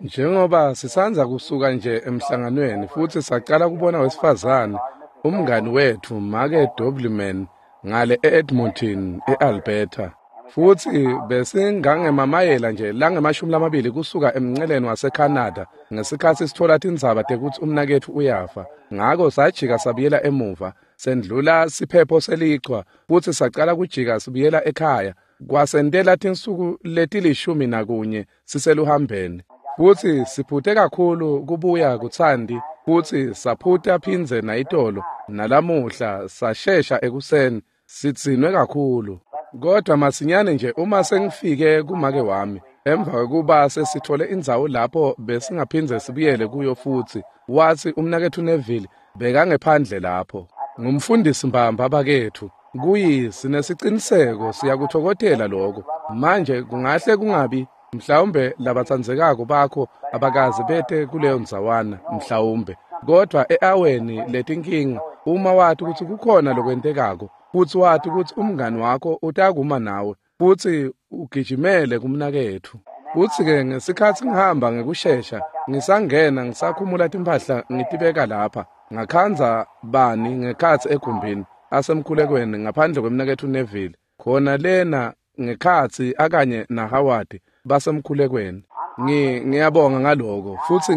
Njengoba sisandza kusuka nje emhlanganweni futsi sacala kubona wesifazane, umngani wetfu, Make Dobbleman, ngale e-Edmonton, e-Alberta. Futsi besingangemamayela nje langama-20 kusuka emnceleni waseCanada ngesikhatsi sitfola tindzaba tekutsi umnaketfu uyafa. Ngako sajika sabuyela emuva, sendlula siphepho selichwa futsi sacala kujika sibuyela ekhaya. Kwasentela tinsuku leti-11 siseluhambeni. Futsi siphute kakhulu kubuya kutsandi, futsi saphuta phindze nayitolo, nalamuhla sashesha ekuseni, sidzinwe kakhulu. Kodwa masinyane nje uma sengifike kumake wami, emva kwekuba sesithole indzawo lapho besingaphindze sibuyele kuyo futsi, watsi umnaketfu Neville bekangephandle lapho. Ngumfundisi mbamba baketfu. Kuyi sinesiciniseko siyakutfokotela lokho. Manje kungahle kungabi mhlawumbe labatsandzekako bakho abakaze bete kuleyo ndzawana mhlawumbe. Kodwa e-aweni letinkinga uma wati kutsi kukhona lokwentekako, futsi wati kutsi umngani wakho utakuma nawe, futsi ugijimele kumnaketfu. Futsi-ke ngesikhatsi ngihamba ngekushesha, ngisangena ngisakhumula timphahla ngitibeka lapha, ngakhandza bani ngekhatsi egumbini asemkhulekweni ngaphandle kwemnaketfu Neville, khona lena ngekhatsi akanye naHoward basemkhulekweni. Ngiyabonga ngaloko, futsi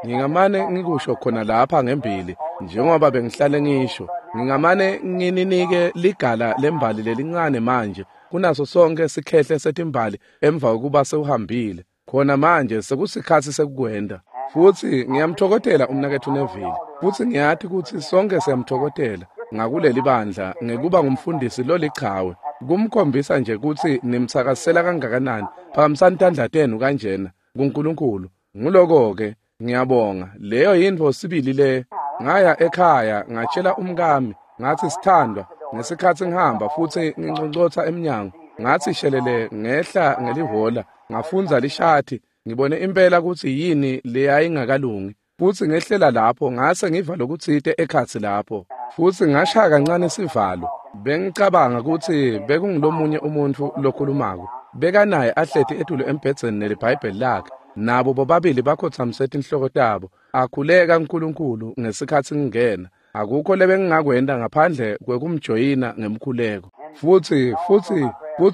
ngingamane ngikusho khona lapha ngembili, njengoba bengihlale ngisho, ngingamane ngininike ligala lembali lelincane manje kunaso sonke sikhehle setimbali emva kokuba sewuhambile. Khona manje sekusikhatsi sekukwenda. Futsi ngiyamtfokotela umnaketfu Neville, futsi ngiyati kutsi sonke siyamtfokotela ngakuleli bandla ngekuba ngumfundisi lolichawe, kumkhombisa nje kutsi nimtsakasela kangakanani. Phakamisani tandla tenu kanjena kuNkulunkulu. Nguloko-ke, ngiyabonga. Leyo yintfo sibili le. Ngaya ekhaya ngatshela umkami, ngathi sithandwa, ngesikhatsi ngihamba futsi nginconcotsa emnyango, ngathi shelele ngehla ngelihola, ngafundza lishati, ngibone impela kutsi yini leyayingakalungi. Futsi ngehlela lapho ngase ngiva lokutsite ekhatsi lapho. Futsi ngashaya kancane sivalo. Bengicabanga kutsi bekungulomunye umuntfu lokhulumako. Bekanaye ahleti etulu embhedzeni neliBhayibheli lakhe. Nabo bobabili bakhotsamise tinhloko tabo. Akhuleka uNkulunkulu ngesikhatsi ngingena. Akukho lebengingakwenta ngaphandle kwekumjoyina ngemkhuleko. Futsi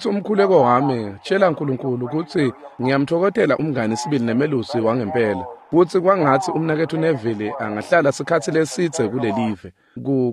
umkhuleko wami tshela uNkulunkulu kutsi ngiyamtfokotela umngani sibili nemelusi wangempela. Futsi kwangatsi umnaketfu Neville angahlala sikhatsi lesidze kulelive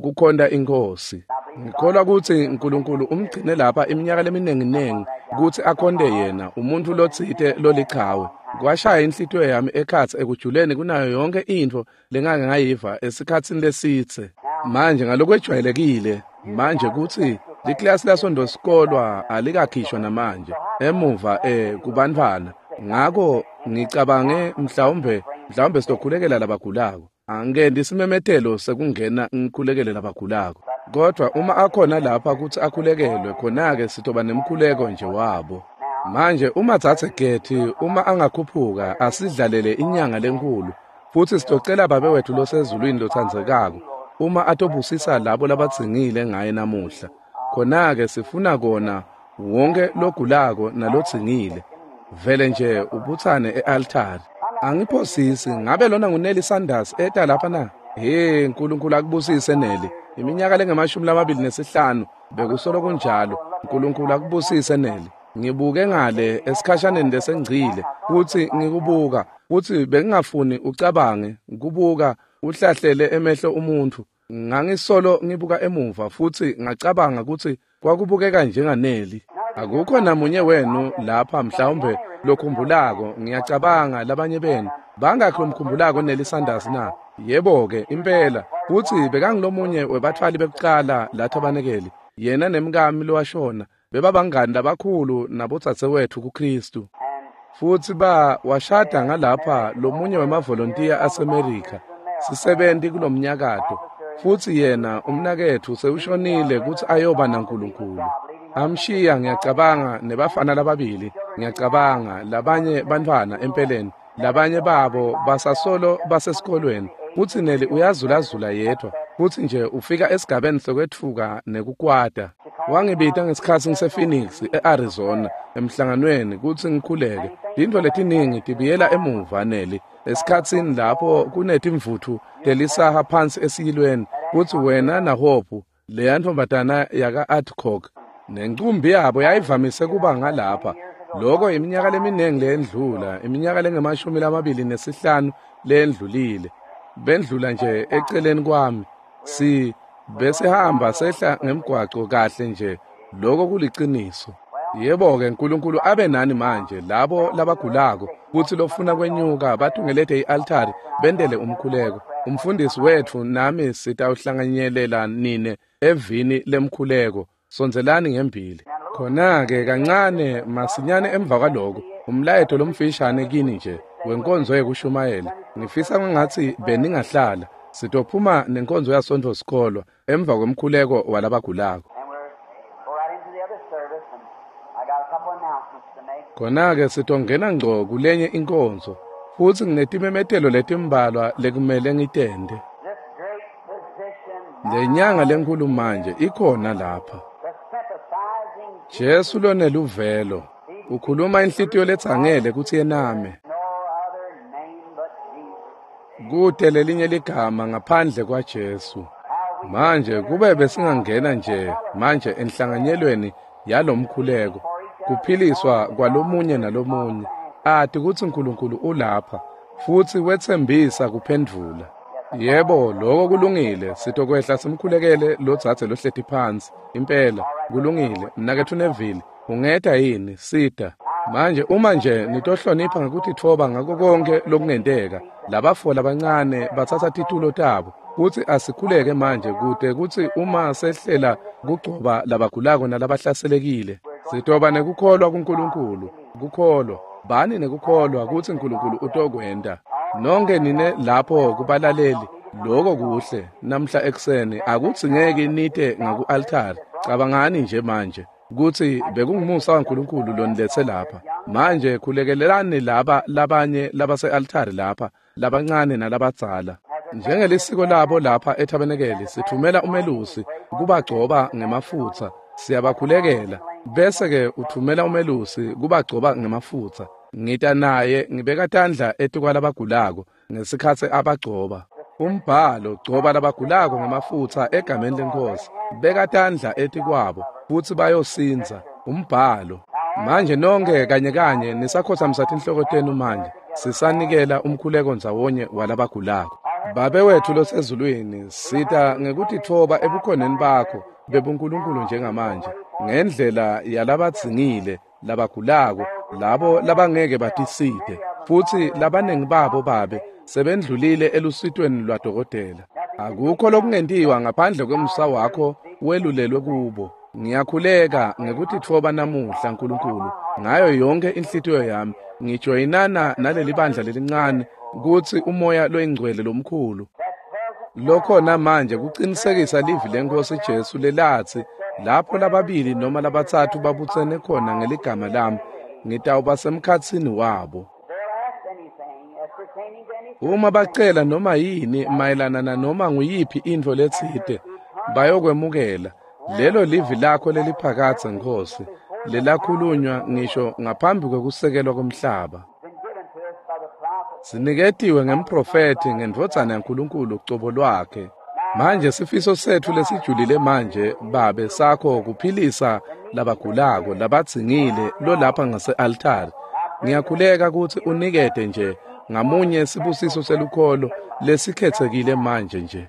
kukhonta iNkhosi. Ngikholwa kutsi uNkulunkulu umgcine lapha iminyaka leminingi kutsi akhonte yena, umuntfu lotsite lolichawe. Kwashaya inhlitiyo yami ekhatsi ekujuleni kunayo yonke intfo lengake ngayiva esikhatsini lesidze. Manje ngalokwejwayelekile, manje kutsi liklasi lasondosikolwa alikakhishwa namanje emuva kubantfwana. Ngako ngicabange mhlawumbe sitokhulekela labagulako. Angikendi isimemetelo sekungena ngikhulekele labagulako. Kodwa uma akhona lapha kutsi akhulekelwe, khona-ke sitoba nemkhuleko nje wabo. Manje uma Dzadze Getty uma angakhuphuka asidlalele inyanga lenkulu, futsi sitocela Babe wetfu losezulwini lotsandzekako uma atobusisa labo labadzingile ngaye namuhla. Khona-ke sifuna kona wonke logulako nalodzingile. Vele nje ubutsane e-altari. Angiphosisi, ngabe lona nguNelly Sanders eta lapha na? He, uNkulunkulu akubusise Nelly. Iminyaka lengama-25 bekusolo kunjalo. uNkulunkulu akubusise Nelly. Ngibuke ngale esikhashaneni lesengcile futsi ngikubuka, futsi bengingafuni ucabange kubuka uhlahlele emehlo umuntfu. Ngangisolo ngibuka emuva futsi ngacabanga kutsi kwakubukeka njengaNelly. Akukho namunye wenu lapha mhlawumbe lokhumbulako, ngiyacabanga labanye benu bangakhi lomkhumbulako Nelly Sanders na? Yebo-ke impela, futsi bekangulomunye webatfwali bekucala lathabanekeli. Yena nemkami lowashona bebabangani labakhulu nabodzadzewetfu kuKristu. Futsi washada ngalapha lomunye wemavolontiya aseMerika, sisebenti kulomnyakato. Futsi yena umnaketfu sewushonile kutsi ayoba naNkulunkulu. Amshiya ngiyacabanga nebafana lababili, ngiyacabanga labanye bantfwana empeleni, labanye babo basasolo basesikolweni. Futsi Nelly uyazulazula yedwa, futsi nje ufika esigabeni sokwetfuka nekukwata. Wangibita ngesikhatsi ngise-Phoenix, e-Arizona, emhlanganweni kutsi ngikhuleke. Tintfo letiningi tibuyela emuva Nelly, esikhatsini lapho kunetimvutfu telisaha phansi esiyilweni, kutsi wena naHope, leya ntfombatana yaka-Adcock, nencumbi yabo yayivamise kuba ngalapha. Lokho iminyaka leminingi leyendlula, iminyaka lengu-25 leyendlulile. Bendlula nje eceleni kwami. Besihamba sehla ngemgwaco kahle nje. Lokho kuliciniso. Yebo-ke, uNkulunkulu abe nani manje labo labagulako kutsi lofuna kwenyuka batungelete i-altari bentele umkhuleko. Umfundisi wetfu nami sitawuhlanganyelela nine evini lemkhuleko. Sondzelani ngembili. Khona-ke kancane masinyane emva kwaloko umlayeto lomfishane kini nje wenkonzo yekushumayela. Ngifisa kwangatsi beningahlala. Sitophuma nenkonzo yaSontfo sikolwa emva kwemkhuleko walabagulako. Khona-ke sitongena ngco kulenye inkonzo futsi nginetimemetelo letimbalwa lekumele ngitente. Lenyanga lenkhulu manje ikhona lapha. Jesu loneluvelo ukhuluma inhlitiyo letsangele kutsi yename. Kute lelinye ligama ngaphandle kwaJesu. Manje kube besingangena nje manje enhlanganyelweni yalomkhuleko, kuphiliswa kwalomunye nalomunye, ati kutsi uNkulunkulu ulapha futsi wetsembisa kuphendvula. Yebo, lokho kulungile. Sitokwehla simkhulekele lodzadze lohleti phansi. Impela kulungile. Mnaketfu Neville, ungeta yini? Sita. Manje uma nje nitohlonipha ngekutitfoba ngako konke lokungenteka, labafo labancane batsatsa titulo tabo kutsi asikhuleke manje kute kutsi uma sehlela kugcoba labagulako nalabahlaselekile, sitoba nekukholwa kuNkulunkulu. Kukholwa, bani nekukholwa kutsi uNkulunkulu utokwenta. Nonke nine lapho kubalaleli, lokho kuhle. Namhla ekuseni akudzingeki nite ngaku-altari. Cabangani nje manje kutsi bekungumusa waNkulunkulu loniletse lapha. Manje khulekelelani laba labanye labase-altari lapha, labancane nalabadzala. Njengelisiko labo lapha ethabenekeli, sithumela umelusi kubagcoba ngemafutsa. Siyabakhulekela bese-ke uthumela umelusi kubagcoba ngemafutsa. Ngita naye ngibeka tandla etikwalabagulako ngesikhatsi abagcoba. Umbhalo, gcoba labagulako ngemafutsa egameni leNkhosi, beka tandla etikwabo futsi bayosindza. Umbhalo. Manje nonke kanye kanye nisakhothamisa tinhloko tenu manje, sisanikela umkhuleko ndzawonye walabagulako. Babe wethu losezulwini, sita ngekutitfoba ebukhoneni bakho bebuNkulunkulu njengamanje, ngendlela yalabadzingile, labagulako, labo labangeke batisite, futsi labaningi babo Babe sebendlulile elusitweni lwadokotela. Akukho lokungentiwa ngaphandle kwemusa wakho welulelwe kubo. Ngiyakhuleka ngekutitfoba namuhla Nkulunkulu ngayo yonke inhlitiyo yami, ngijoyinana naleli bandla lelincane kutsi umoya loyingcwele lomkhulu lokhona manje kucinisekisa livi leNkhosi Jesu lelatsi, lapho lababili noma labatsatfu babutsene khona ngeligama lami, ngitawuba semkhatsini wabo. Uma bacela noma yini mayelana nanoma nguyiphi intfo letsite, bayokwemukela. Lelo livi lakho leliphakadze Nkhosi, lelakhulunywa ngisho ngaphambi kwekusekelwa komhlaba. Siniketiwe ngemprofethi ngendvodzana yaNkulunkulu cobo lwakhe. Manje sifiso setfu lesijulile manje Babe sakho kuphilisa labagulako labadzingile lolapha ngase-altari. Ngiyakhuleka kutsi unikete nje ngamunye sibusiso selukholo lesikhetsekile manje nje,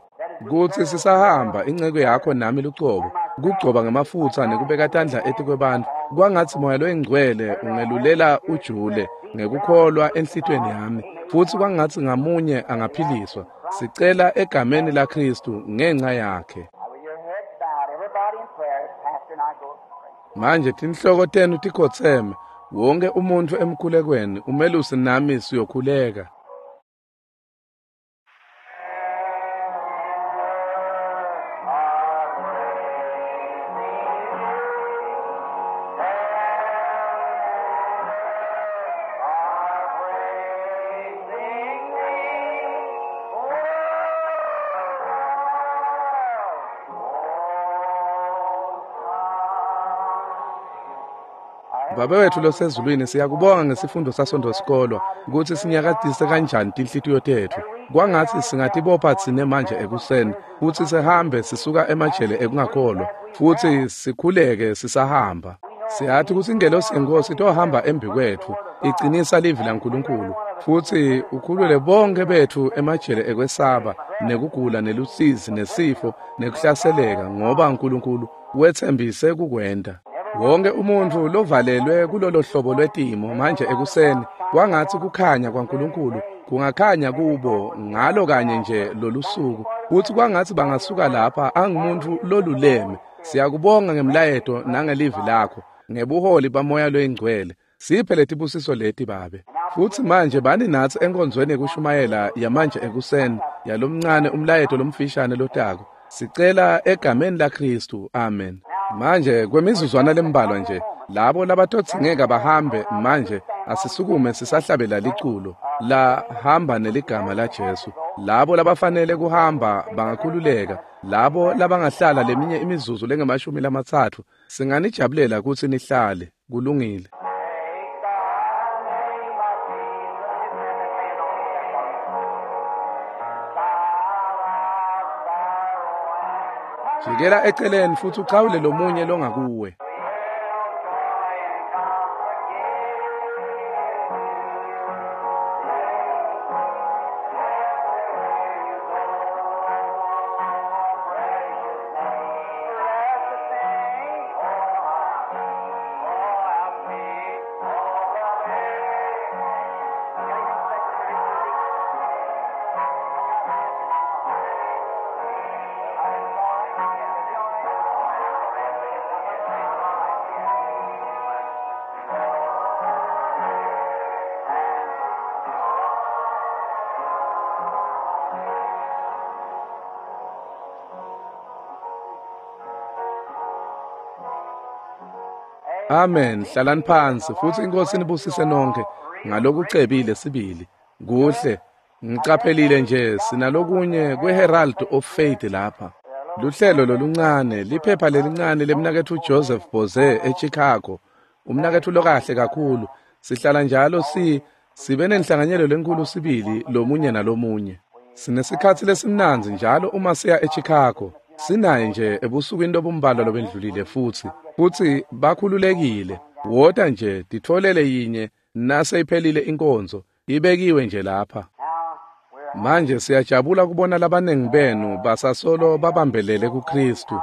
kutsi sisahamba inceke yakho nami lucobo, kugcoba ngemafutsa nekubeka tandla etikwebantfu, kwangatsi moya loyingcwele ungelulela ujule ngekukholwa enhlitiyweni yami, futsi kwangatsi ngamunye angaphiliswa. Sicela egameni laKhristu ngenca yakhe. Manje tinhloko tenu tikhotseme, wonke umuntfu emkhulekweni, umelusi nami siyokhuleka. Babe wethu losezulwini, siyakubonga ngesifundo saSondo sikolwa kutsi sinyakatise kanjani tinhlitiyo tetfu. Kwangatsi singatibopha tsine manje ekuseni futsi sihambe sisuka emajele ekungakholwa futsi sikhuleke sisahamba. Siyathi kutsi ingelosi yeNkhosi itohamba embi kwetfu icinisa livi laNkulunkulu futsi ukhulule bonke betfu emajele ekwesaba nekugula nelusizi nesifo nekuhlaseleka, ngoba uNkulunkulu wetsembise kukwenta. Wonke umuntfu lovalelwe kulolo hlobo lwetimo manje ekuseni, kwangatsi kukhanya kwaNkulunkulu kungakhanya kubo ngalo kanye nje lolusuku, futsi kwangatsi bangasuka lapha angumuntu loluleme. Siyakubonga ngemlayeto nangelivi lakho ngebuholi baMoya loyiNgcwele. Siphe letibusiso leti, Babe. Futsi manje bani natsi enkonzweni yekushumayela yamanje ekuseni yalomncane umlayeto lomfishane lotako. Sicela egameni laKhristu, amen. Manje kwemizuzwana lembalwa nje, labo labatodzingeka bahambe manje, asisukume sisahlabela liculo la hamba neligama laJesu. Labo labafanele kuhamba bangakhululeka, labo labangahlala leminye imizuzu lengamashumi 30 singanijabulela kutsi nihlale. Kulungile. Jikela eceleni futsi uchawule lomunye longakuwe. Amen. Hlalani phansi futsi iNkhosi inibusise nonke ngalokucebile sibili. Kuhle. Ngicaphelile nje sinalokunye kweHerald of Faith lapha. Luhlelo loluncane, liphepha lelincane lemnaketfu Joseph Boze eChicago. Umnaketfu lokahle kakhulu. Sihlala njalo sibe nenhlanganyelo lenkulu sibili lomunye nalomunye. Sinesikhatsi lesimnandzi njalo uma siya eChicago. Sinaye nje ebusukwini lobumbalwa lobendlulile futsi bakhululekile. Wota nje titfolele yinye naseyiphelile inkonzo, ibekiwe nje lapha. Manje siyajabula kubona labanengi benu basasolo babambelele kuKhristu.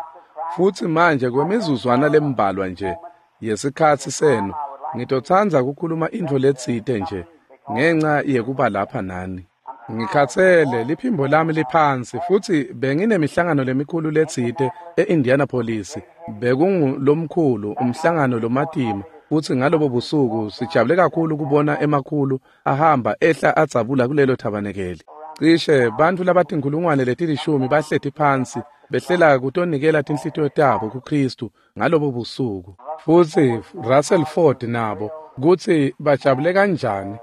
Futsi manje kwemizuzwana lembalwa nje yesikhatsi senu, ngitotsandza kukhuluma intfo letsite nje ngenca yekuba lapha nani. Ngikhatsele, liphimbo lami liphansi futsi benginemihlangano lemikhulu letsite e-Indianapolis. Bekungulomkhulu umhlangano lomatima, futsi ngalobo busuku sijabule kakhulu kubona emakhulu ahamba ehla adzabula kulelo thabanekeli. Cishe bantfu labatinkhulungwane leti-10 bahleti phansi behlela kutonikela tinhlitiyo tabo kuKhristu ngalobo busuku. Futsi Russell Ford nabo kutsi bajabule kanjani.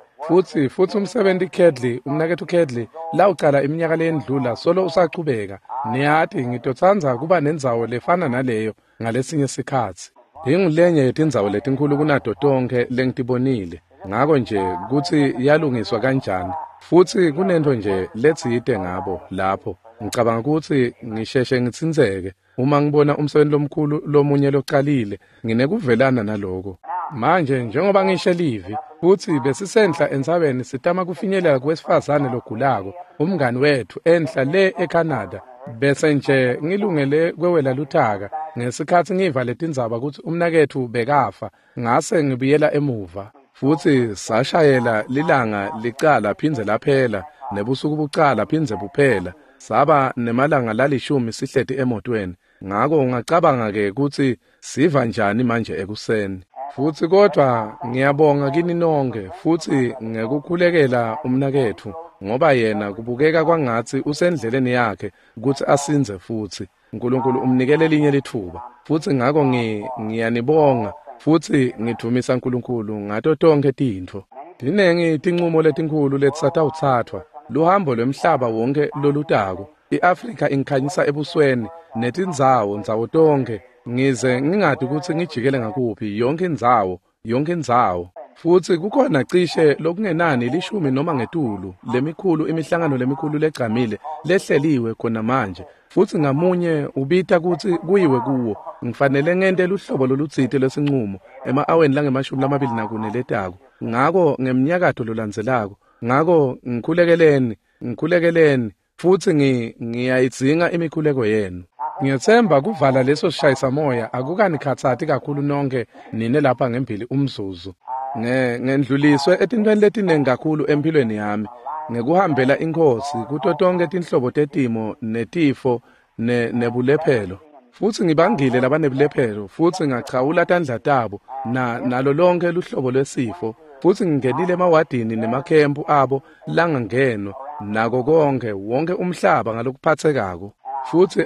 Futsi umsebenti Kedley, umnaketfu Kedley, lawucala iminyaka leyendlula solo usachubeka. Niyati ngitotsandza kuba nendzawo lefana naleyo ngalesinye sikhatsi. Ingulenye yetindzawo letinkhulu kunato tonkhe lengitibonile. Ngako nje kutsi yalungiswa kanjani. Futsi kunentfo nje letsite ngabo lapho. Ngicabanga kutsi ngisheshe ngitsintseke uma ngibona umsebenti lomkhulu lomunye localile, nginekuvelana naloko. Manje njengoba ngisho livi, futsi besisenhla entsabeni sitama kufinyelela kuwesifazane logulako, umngani wethu enhla le eCanada. Bese nje ngilungele kwewela luthaka ngesikhatsi ngiva letindzaba kutsi umnaketfu bekafa, ngase ngibuyela emuva. Futsi sashayela lilanga licala phindze laphela, nebusuku bucala phindze buphela. Saba nemalanga lalishumi sihleti emotweni. Ngako ungacabanga ke kutsi siva njani manje ekuseni. Futsi kodvwa ngiyabonga kini nonke futsi ngekukhulekela umnaketfu, ngoba yena kubukeka kwangatsi usendleleni yakhe kutsi asindze futsi. uNkulunkulu umnikele linye litfuba. Futsi ngako ngiyanibonga futsi ngidvumisa uNkulunkulu ngato tonkhe tintfo. Tinengi tincumo letinkhulu letisatawutsatfwa, luhambo lwemhlaba wonke lolutako. I-Afrika ingikhanyisa ebusweni netindzawo ndzawo tonkhe, ngize ngingati kutsi ngijikele ngakuphi yonke indzawo. yonke indzawo. Futsi kukhona cishe lokungenani 10 noma ngetulu lemikhulu imihlangano lemikhulu legcamile lehleliwe khona manje, futsi ngamunye ubita kutsi kuyiwe kuwo. Ngifanele ngente luhlobo lolutsite lwesinqumo ema-aweni lange-24 letako, ngako ngemnyakato lolandzelako. Ngako ngikhulekeleni futsi ngiyayidzinga imikhuleko yenu. Ngiyethemba kuvala leso sishayisamoya akukanikhatsati kakhulu nonke nine lapha ngembili umzuzu. Ngendluliswe etintweni letiningi kakhulu empilweni yami ngekuhambela iNkhosi kuto tonke tinhlobo tetimo netifo nebulephelo. Futsi ngibangile labanebulephelo futsi ngachawula tandla tabo nalo lonke luhlobo lwesifo, futsi ngingenile emawadini nemakhempu abo langangenwa nako konke wonke umhlaba ngalokuphathekako. Futsi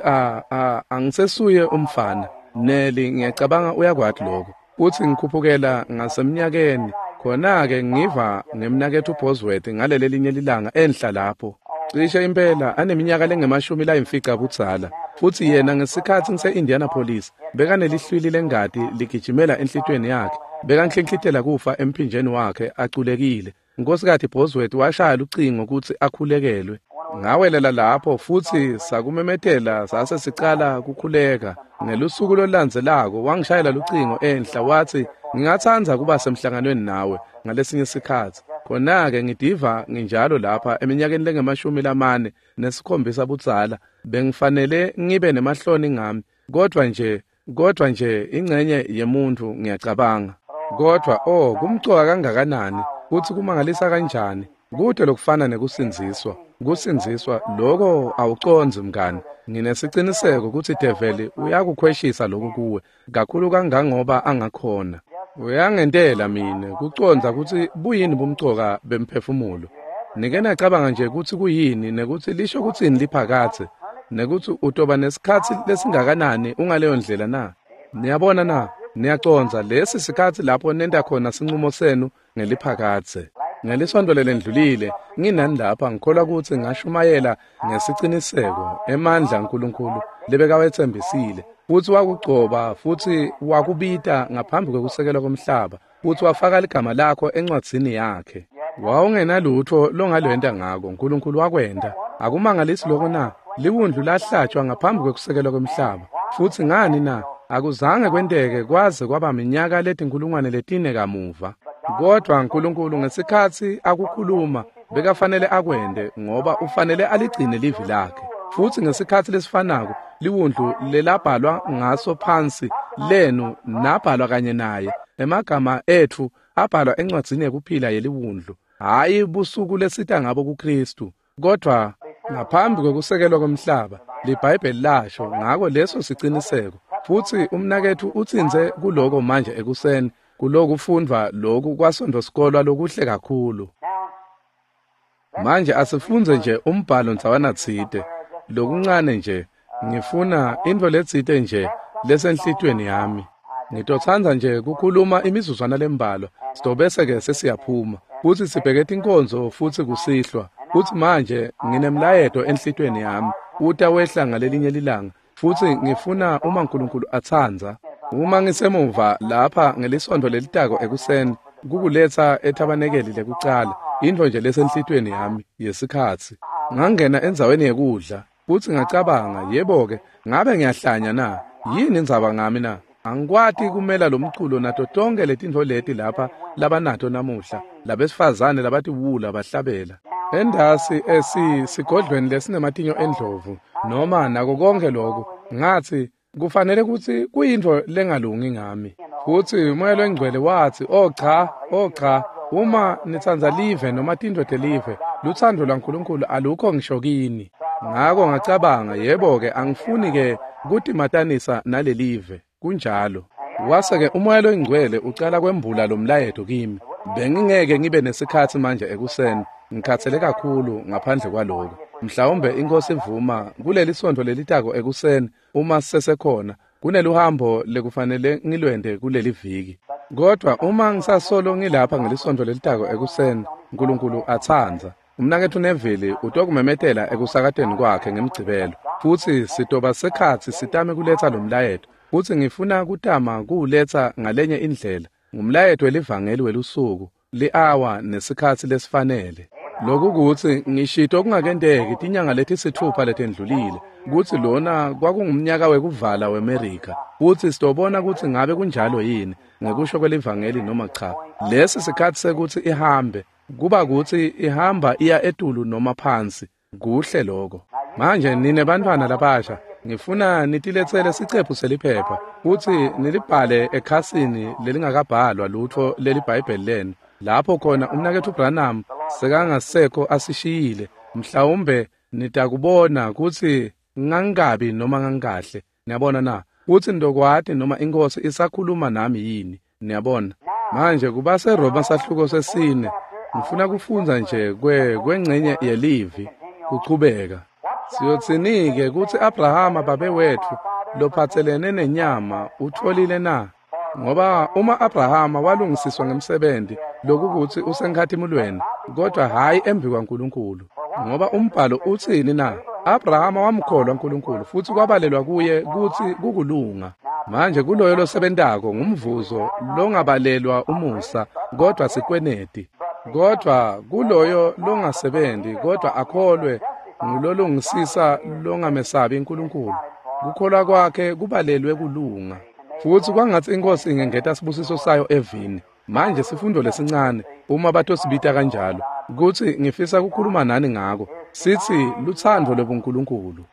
angisesuye umfana Neli, ngiyacabanga uyakwati lokho. Futsi ngikhuphukela ngasemnyakeni khona-ke ngiva ngemnaketfu Bosworth ngaleli linye lilanga enhla lapho, cishe impela aneminyaka lengama-50 budzala. Futsi yena ngesikhatsi ngise-Indianapolis bekanelihlwili lengati ligijimela enhlitiyweni yakhe, bekanhlinhlitela kufa emphinjeni wakhe aculekile. Nkosikazi Bosworth washaya lucingo kutsi akhulekelwe. Ngawelela lapho futsi sakumemetela sase sicala kukhuleka. Ngelusuku lolulandzelako wangishayela lucingo enhla watsi, ngingatsandza kuba semhlanganweni nawe ngalesinye sikhatsi. Khona-ke ngidiva nginjalo lapha eminyakeni lengama-47 budzala, bengifanele ngibe nemahloni ngami, kodwa nje ingcenye yemuntu ngiyacabanga. Kodwa kumcoka kangakanani, kutsi kumangalisa kanjani, kude lokufana nekusindziswa. Kusindziswa lokho awucondzi mngani. Nginesiciniseko kutsi develi uyakukhweshisa lokhu kuwe kakhulu kangangoba angakhona. Uyangentela mine kucondza kutsi buyini bumcoka bemphefumulo. Nike nacabanga nje kutsi kuyini nekutsi lisho kutsini liphakadze, nekutsi utoba nesikhatsi lesingakanani ungaleyo ndlela na? Niyabona na? Niyacondza lesi sikhatsi lapho nenta khona sinqumo senu ngeliphakadze. Ngelisonto lelendlulile nginani lapha ngikholwa kutsi ngashumayela ngesiciniseko emandla aNkulunkulu lebekawetsembisile, futsi wakugcoba futsi wakubita ngaphambi kwekusekelwa komhlaba, futsi wafaka ligama lakho encwadzini yakhe. Wawungenalutho longalwenta ngako, uNkulunkulu wakwenta. Akumangalisi lokho na? Liwundlu lahlatshwa ngaphambi kwekusekelwa komhlaba. Futsi ngani na? Akuzange kwenteke kwaze kwaba minyaka leti-4,000 kamuva. Kodwa uNkulunkulu ngesikhatsi akukhuluma bekafanele akwente, ngoba ufanele aligcine livi lakhe. Futsi ngesikhatsi lesifanako liwundlu lelabhalwa ngaso phansi lenu nabhalwa kanye naye. Emagama etfu abhalwa encwadzini yekuphila yeliwundlu, hhayi busuku lesita ngabo kuKristu, kodwa ngaphambi kwekusekelwa komhlaba liBhayibheli lasho ngako leso siciniseko. Futsi umnaketfu utsintse kuloko manje ekuseni kulokufundvwa loku kwaSontfo sikolwa lokuhle kakhulu. Manje asifundze nje umbhalo ndzawana tsite lokuncane nje, ngifuna intfo letsite nje lesenhlitiyweni yami. Ngitotsandza nje kukhuluma imizuzwana lembalwa, sitobese-ke sesiyaphuma futsi sibheke tinkonzo futsi kusihlwa. Futsi manje nginemlayeto enhlitiyweni yami uta wehla ngalelinye lilanga, futsi ngifuna uma uNkulunkulu atsandza, uma ngisemuva lapha ngelisonto lelitako ekuseni, kukuletsa ethabanekeli lekucala, intfo nje lesenhlitiyweni yami yesikhatsi. Ngangena endzaweni yekudla futsi ngacabanga, yebo-ke, ngabe ngiyahlanya na? Yini indzaba ngami na? Angikwati kumela lo mculo nato tonke letintfo leti lapha labanato namuhla, labesifazane labatiwula bahlabela endasi esigodlweni lesinematinyo endlovu noma nako konke lokhu. Ngathi kufanele kutsi kuyintfo lengalungi ngami. Futsi uMoya loNgcwele watsi, oh cha, oh cha, uma nitsandza live noma tintfo telive, lutsandvo lwaNkulunkulu alukho ngisho kini. Ngako ngacabanga, yebo-ke, angifuni-ke kutimatanisa nalelive. Kunjalo. Wase-ke uMoya loNgcwele ucala kwembula lo mlayeto kimi. Bengingeke ngibe nesikhatsi manje ekuseni, ngikhathele kakhulu ngaphandle kwaloko. Mhlawumbe iNkosi ivuma kuleli sontfo lelitako ekuseni uma sisesekhona, kuneluhambo lekufanele ngilwente kuleli viki. Kodwa uma ngisasolo ngilapha ngelisontfo lelitako ekuseni, uNkulunkulu atsandza, umnaketfu Neville utokumemetela ekusakateni kwakhe ngemgcibelo, futsi sitoba sekhatsi sitame kuletsa lo mlayeto, futsi ngifuna kutama kuwuletsa ngalenye indlela. Ngumlayeto welivangeli welusuku, li-awa nesikhatsi lesifanele. Lokukutsi ngishito kungakenteki tinyanga letisitfupha letendlulile kutsi lona kwakungumnyaka wekuvala weMerica, futsi sitobona kutsi ngabe kunjalo yini ngekusho kwelivangeli noma cha. Lesi sikhatsi sekutsi ihambe, kuba kutsi ihamba iya etulu noma phansi. Kuhle lokho. Manje nine bantfwana labasha, ngifuna nitiletsele sicephu seliphepha futsi nilibhale ekhasini lelingakabhalwa lutfo leliBhayibheli lenu, lapho khona umnaketfu Branham sekangasekho asishiyile. Mhlawumbe nitakubona kutsi ngangabi noma ngangikahle. Niyabona na? Futsi nitokwati noma iNkhosi isakhuluma nami yini. Niyabona? Manje kubaseRoma sahluko sesine, ngifuna kufundza nje kwengcenye yelivi kuchubeka. Siyotsini-ke kutsi Abrahama babe wetfu lophatselene nenyama utfolile na? Ngoba uma Abrahama walungisiswa ngemsebenti, lokukutsi usenkhatimulweni, kodwa hhayi embikwaNkulunkulu. Ngoba umbhalo utsini na? Abrahama wamkholwa uNkulunkulu futsi kwabalelwa kuye kutsi kukulunga. Manje kuloyo losebentako ngumvuzo longabalelwa umusa, kodwa sikweneti. Kodwa kuloyo longasebenzi kodwa akholwe ngulolungisisa longamesabi uNkulunkulu, kukholwa kwakhe kubalelwe kulunga. Futsi kwangatsi iNkhosi ingengeta sibusiso sayo evini. Manje sifundo lesincane, uma batosibita kanjalo, kutsi ngifisa kukhuluma nani ngako, sitsi lutsandvo lwebuNkulunkulu.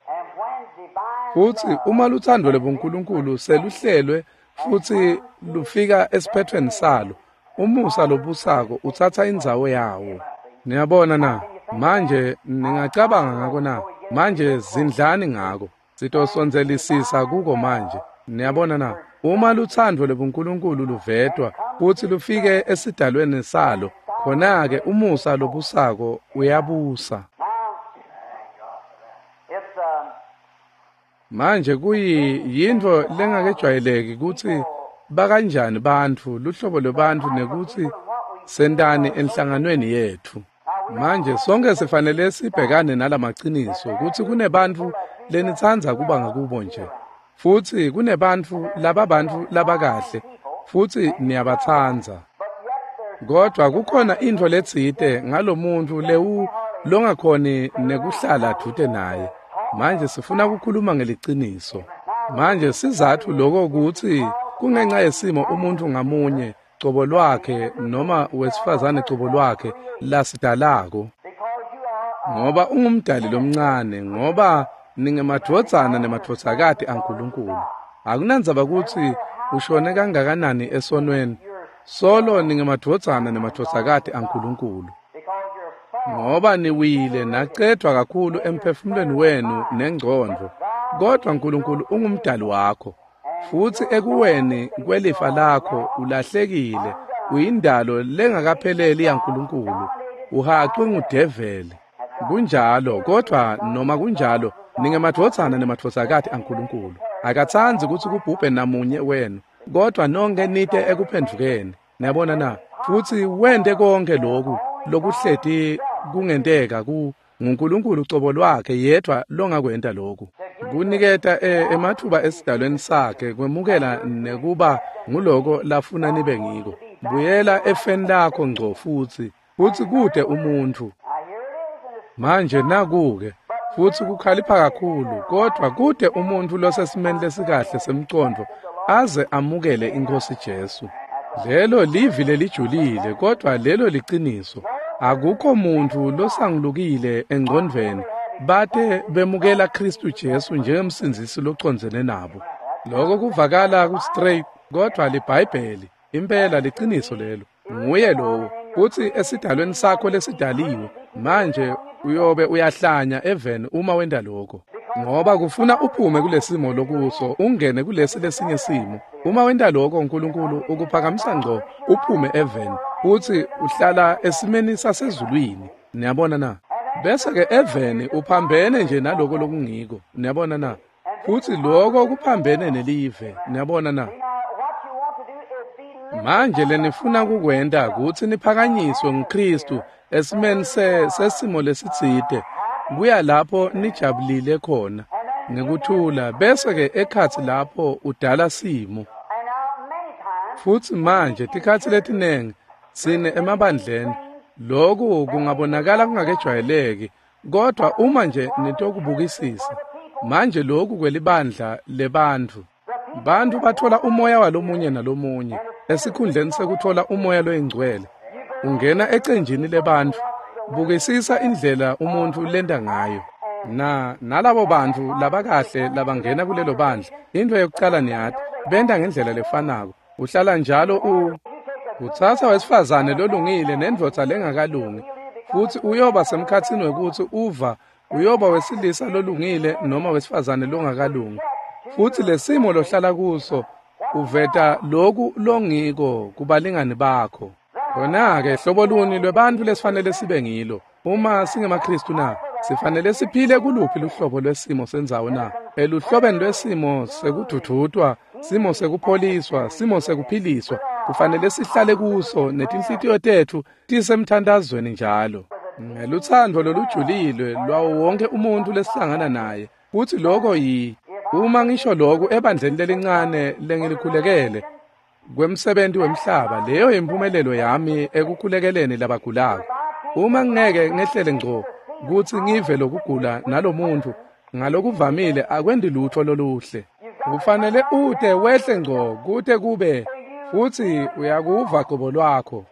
Futsi uma lutsandvo lwebuNkulunkulu seluhlelwe futsi lufika esiphethweni salo, umusa lobusako utsatsa indzawo yawo. Niyabona na? Manje ningacabanga ngako na? Manje zindlani ngako. Sitosondzelisisa kuko manje. Niyabona na? Uma lutsandvo lwebuNkulunkulu luvetwa futsi lufike esidalweni salo, khona-ke umusa lobusako uyabusa. Manje kuyintfo lengakejwayeleki kutsi bakanjani bantfu, luhlobo lwebantfu, nekutsi sentani enhlanganweni yetfu. Manje sonke sifanele sibhekane nalamaciniso kutsi kunebantfu lenitsandza kuba ngakubo nje, futsi kunebantfu lababantfu labakahle, futsi niyabatsandza. Kodwa kukhona intfo letsite ngalomuntfu lewu longakhoni nekuhlala dvute naye. Manje sifuna kukhuluma ngeliciniso. Manje sizatfu lokho kutsi kungenxa yesimo umuntfu ngamunye cobo lwakhe noma wesifazane cobo lwakhe lasidalako. Ngoba ungumdali lomncane, ngoba ningemadvodzana nemadvodzakati aNkulunkulu. Akunandzaba kutsi ushone kangakanani esonweni, solo ningemadvodzana nemadvodzakati aNkulunkulu. Ngoba niwile nacedvwa kakhulu emphefumulweni wenu nengcondvo, kodwa Nkulunkulu ungumdali wakho. Futsi ekuweni kwelifa lakho ulahlekile, uyindalo lengakapheleli yaNkulunkulu, uhaqwe ngudeveli. Kunjalo, kodwa noma kunjalo ningemadvodzana nemadvodzakati aNkulunkulu. Akatsandzi kutsi kubhubhe namunye wenu, kodwa nonke nite ekuphendvukeni. Niyabona na? Futsi wente konke lokhu lokuhleti kungenteka ku nguNkulunkulu cobo lwakhe yedvwa longakwenta lokhu. Kuniketa ematfuba esidalweni sakhe kwemukela nekuba nguloko lafuna nibe ngiko. Buyela efeni lakho ngco futsi kude umuntfu. Manje nakuke futsi kukhalipha kakhulu, kodwa kude umuntfu losesimeni lesikahle semcondvo aze amukele iNkhosi Jesu. Lelo livi lelijulile, kodwa lelo liciniso. Akukho muntfu losangulukile engcondvweni bate bemukela Khristu Jesu njengemsindzisi locondzene nabo. Lokho kuvakala ku-straight, kodwa liBhayibheli impela liciniso lelo. Nguye lowo kutsi esidalweni sakho lesidaliwe. Manje uyobe uyahlanya eveni uma wenta lokho, ngoba kufuna uphume kulesimo lokuso ungene kulesi lesinye simo. Uma wenta lokho, uNkulunkulu ukuphakamisa ngco uphume eveni futhi uhlala esimeni sasezulwini. Niyabona na? Bese ke eveni uphambene nje naloko lokungiko. Niyabona na? Futhi lokho kuphambene nelive. Niyabona na? Manje lenifuna kukwenta kutsi niphakanyiswe nguKristu esimeni sesimo lesitsite, kuya lapho nijabulile khona ngekuthula, bese ke ekhatsi lapho udala simo. Futsi manje tikhatsi letinengi tsine emabandleni loku kungabonakala kungakejwayeleki, kodwa uma nje nitokubukisisa manje loku kwelibandla lebantfu, bantfu batfola umoya walomunye nalomunye esikhundleni sekutfola umoya loyingcwele. Ungena ecenjini lebantfu, bukisisa indlela umuntfu lenta ngayo. Na nalabo bantfu labakahle labangena kulelo bandla, intfo yokucala niyati, benta ngendlela lefanako. Uhlala njalo utsatsa wesifazane lolungile nendvodza lengakalungi, futsi uyoba semkhatsini wekutsi uva uyoba wesilisa lolungile noma wesifazane longakalungi. Futsi lesimo lohlala kuso uveta loku longiko kubalingani bakho. Khona-ke hlobo luni lwebantfu lesifanele sibe ngilo uma singemaKhristu na? Sifanele siphile kuluphi luhlobo lwesimo sendzawo na? Eluhlobeni lwesimo sekudvudvutwa, simo sekupholiswa, simo sekuphiliswa, kufanele sihlale kuso netinhlitiyo tetfu tisemthandazweni njalo. Ngelutsandvo lolujulile lwawo wonke umuntfu lesihlangana naye. Futsi loko uma ngisho loku ebandleni lelincane lengilikhulekele kwemsebenti wemhlaba, leyo impumelelo yami ekukhulekeleni labagulako. Uma ngeke ngehlele ngco kutsi ngive lokugula nalomuntu, ngalokuvamile akwendi lutho loluhle. Kufanele ute wehle ngco kute kube futsi uyakuva qobo lwakho.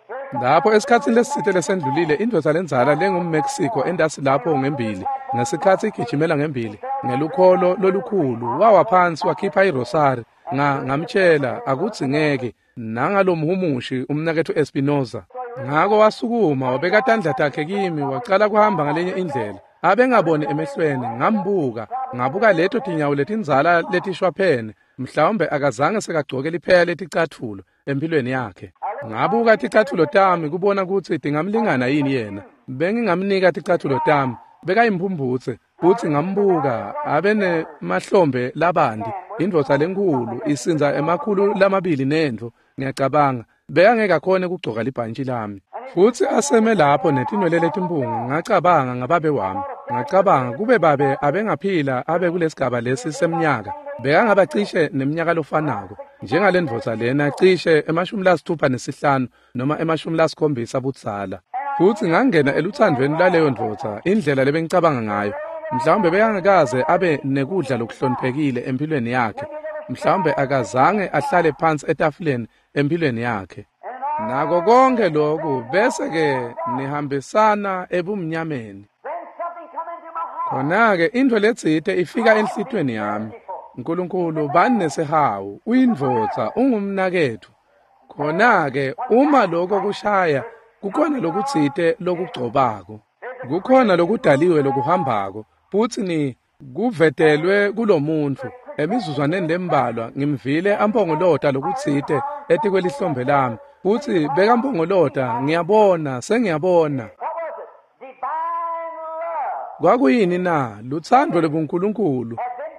Lapho esikhatsini lesitsite lesendlulile, indvodza lendzala lengumMexico entasi lapho ngembili, ngesikhatsi igijimela ngembili ngelukholo lolukhulu, wawa phansi wakhipha irosari. Ngamtshela akudzingeki nangalomhumushi umnaketfu Espinoza. Ngako wasukuma wabeka tandla takhe kimi, wacala kuhamba ngalenye indlela. Abengaboni emehlweni, ngambuka, ngabuka leto tinyawo letindzala letishwaphene, mhlawumbe akazange sekagcoke lipheya leticatfulo empilweni yakhe. Ngabuka ticatfulo tami kubona kutsi tingamlingana yini yena. Bengingamnika ticatfulo tami, bekayimphumphutse. Futsi ngambuka abenemahlombe labandi, indvodza lenkhulu isindza 200 nentfo, ngiyacabanga bekangeke akhone kugcoka libhantshi lami. Futsi aseme lapho netinwele letimpunga, ngacabanga ngababe wami. Ngacabanga kube babe abengaphila abe kulesigaba lesi semnyaka, bekangaba cishe nemnyaka lofanako njengalendvodza lena, cishe 65 noma 70 budzala. Futsi ngangena eluthandvweni lwaleyo ndvodza, indlela lebengicabanga ngayo. Mhlawumbe bekangakaze abe nekudla lokuhloniphekile empilweni yakhe. Mhlawumbe akazange ahlale phansi etafuleni empilweni yakhe. Nako konke lokhu bese-ke nihambisana ebumnyameni. Khona-ke intfo letsite ifika enhlitiyweni yami. Nkulunkulu bani nesihawu, uyindvodza, ungumnaketfu. Khona-ke uma lokho kushaya, kukhona lokutsite lokugcobako. Kukhona lokudaliwe lokuhambako, futsi kuvetelwe kulomuntfu. Emizuzwaneni lembalwa ngimvile ampongolota lokutsite etikwelihlombe lami, futsi bekampongolota, ngiyabona, sengiyabona. Kwakuyini na? Lutsandvo lobuNkulunkulu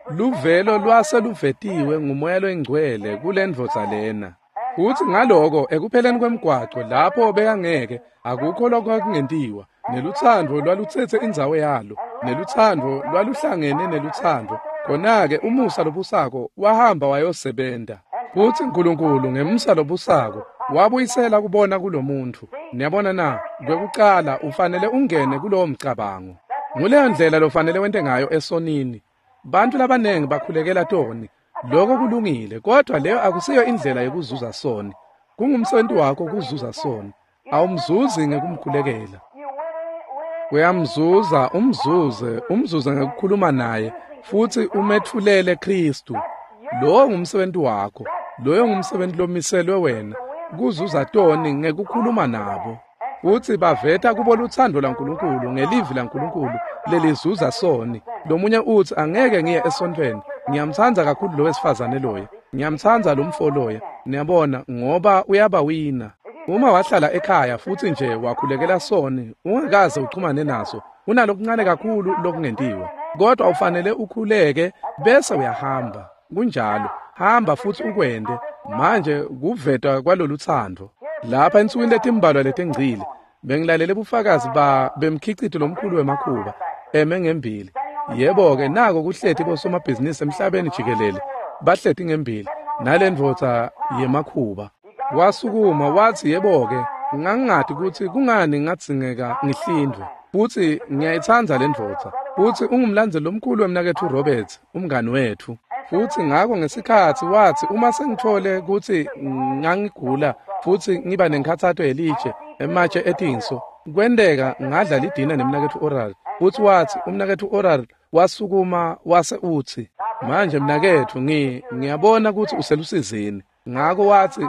luvelo lwase luvetiwe ngumoya loyingcwele kulendvodza lena. Futsi ngaloko ekupheleni kwemgwaco lapho bekangeke, akukho lokwakungentiwa, nelutsandvo lwalutsetse indzawo yalo, nelutsandvo lwaluhlangene nelutsandvo. Khona-ke umusa lobusako wahamba wayosebenta. Futsi Nkulunkulu ngemusa lobusako wabuyisela kubona kulomuntfu. Niyabona na? Kwekucala ufanele ungene kulowo mcabango. Nguleyo ndlela lofanele wente ngayo esonini. Bantfu labanengi bakhulekela toni. Lokho kulungile, kodwa leyo akusiyo indlela yokuzuza soni. Kungumsebenti wakho kuzuza soni. Awumzuzi ngekumkhulekela. Uyamzuza, umzuze ngekukhuluma naye, futsi umetfulele Khristu. Lowo ngumsebenti wakho. Loyo ngumsebenti lomiselwe wena, kuzuza toni ngekukhuluma nabo. Futsi baveta kubo lutsandvo lwaNkulunkulu ngelivi laNkulunkulu lelizuza soni. Lomunye utsi angeke ngiye esontfweni, ngiyamtsandza kakhulu lo wesifazane loya, ngiyamtsandza lo mfo loya. Niyabona, ngoba uyabawina. Uma wahlala ekhaya futsi nje wakhulekela soni, ungakaze uchumane naso, unalokuncane kakhulu lokungentiwa. Kodwa ufanele ukhuleke bese uyahamba. Kunjalo, hamba futsi ukwente. Manje kuvetwa kwalolutsandvo. Lapha ensukwini letimbalwa letengcile, bengilalele bufakazi bemkhicito lomkhulu wemakhuba eme ngembili. Yebo-ke, nako kuhleti bosomabhizinisi emhlabeni jikelele, bahleti ngembili nalendvodza yemakhuba. Wasukuma wathi, yebo-ke, ngangingati kutsi kungani ngadzingeka ngihlindvwe. Futsi ngiyayitsandza le ndvodza. Futsi ungumlandzeli lomkhulu wemnaketfu Roberts, umngani wetfu. Futsi ngako ngesikhatsi watsi uma sengitfole kutsi ngangigula futsi ngiba nenkhatsato yelitshe, ematshe etinso, kwenteka ngadla lidina nemnaketfu Oral. Futsi watsi umnaketfu Oral wasukuma wase utsi, manje mnaketfu ngiyabona kutsi uselusizini. Ngako watsi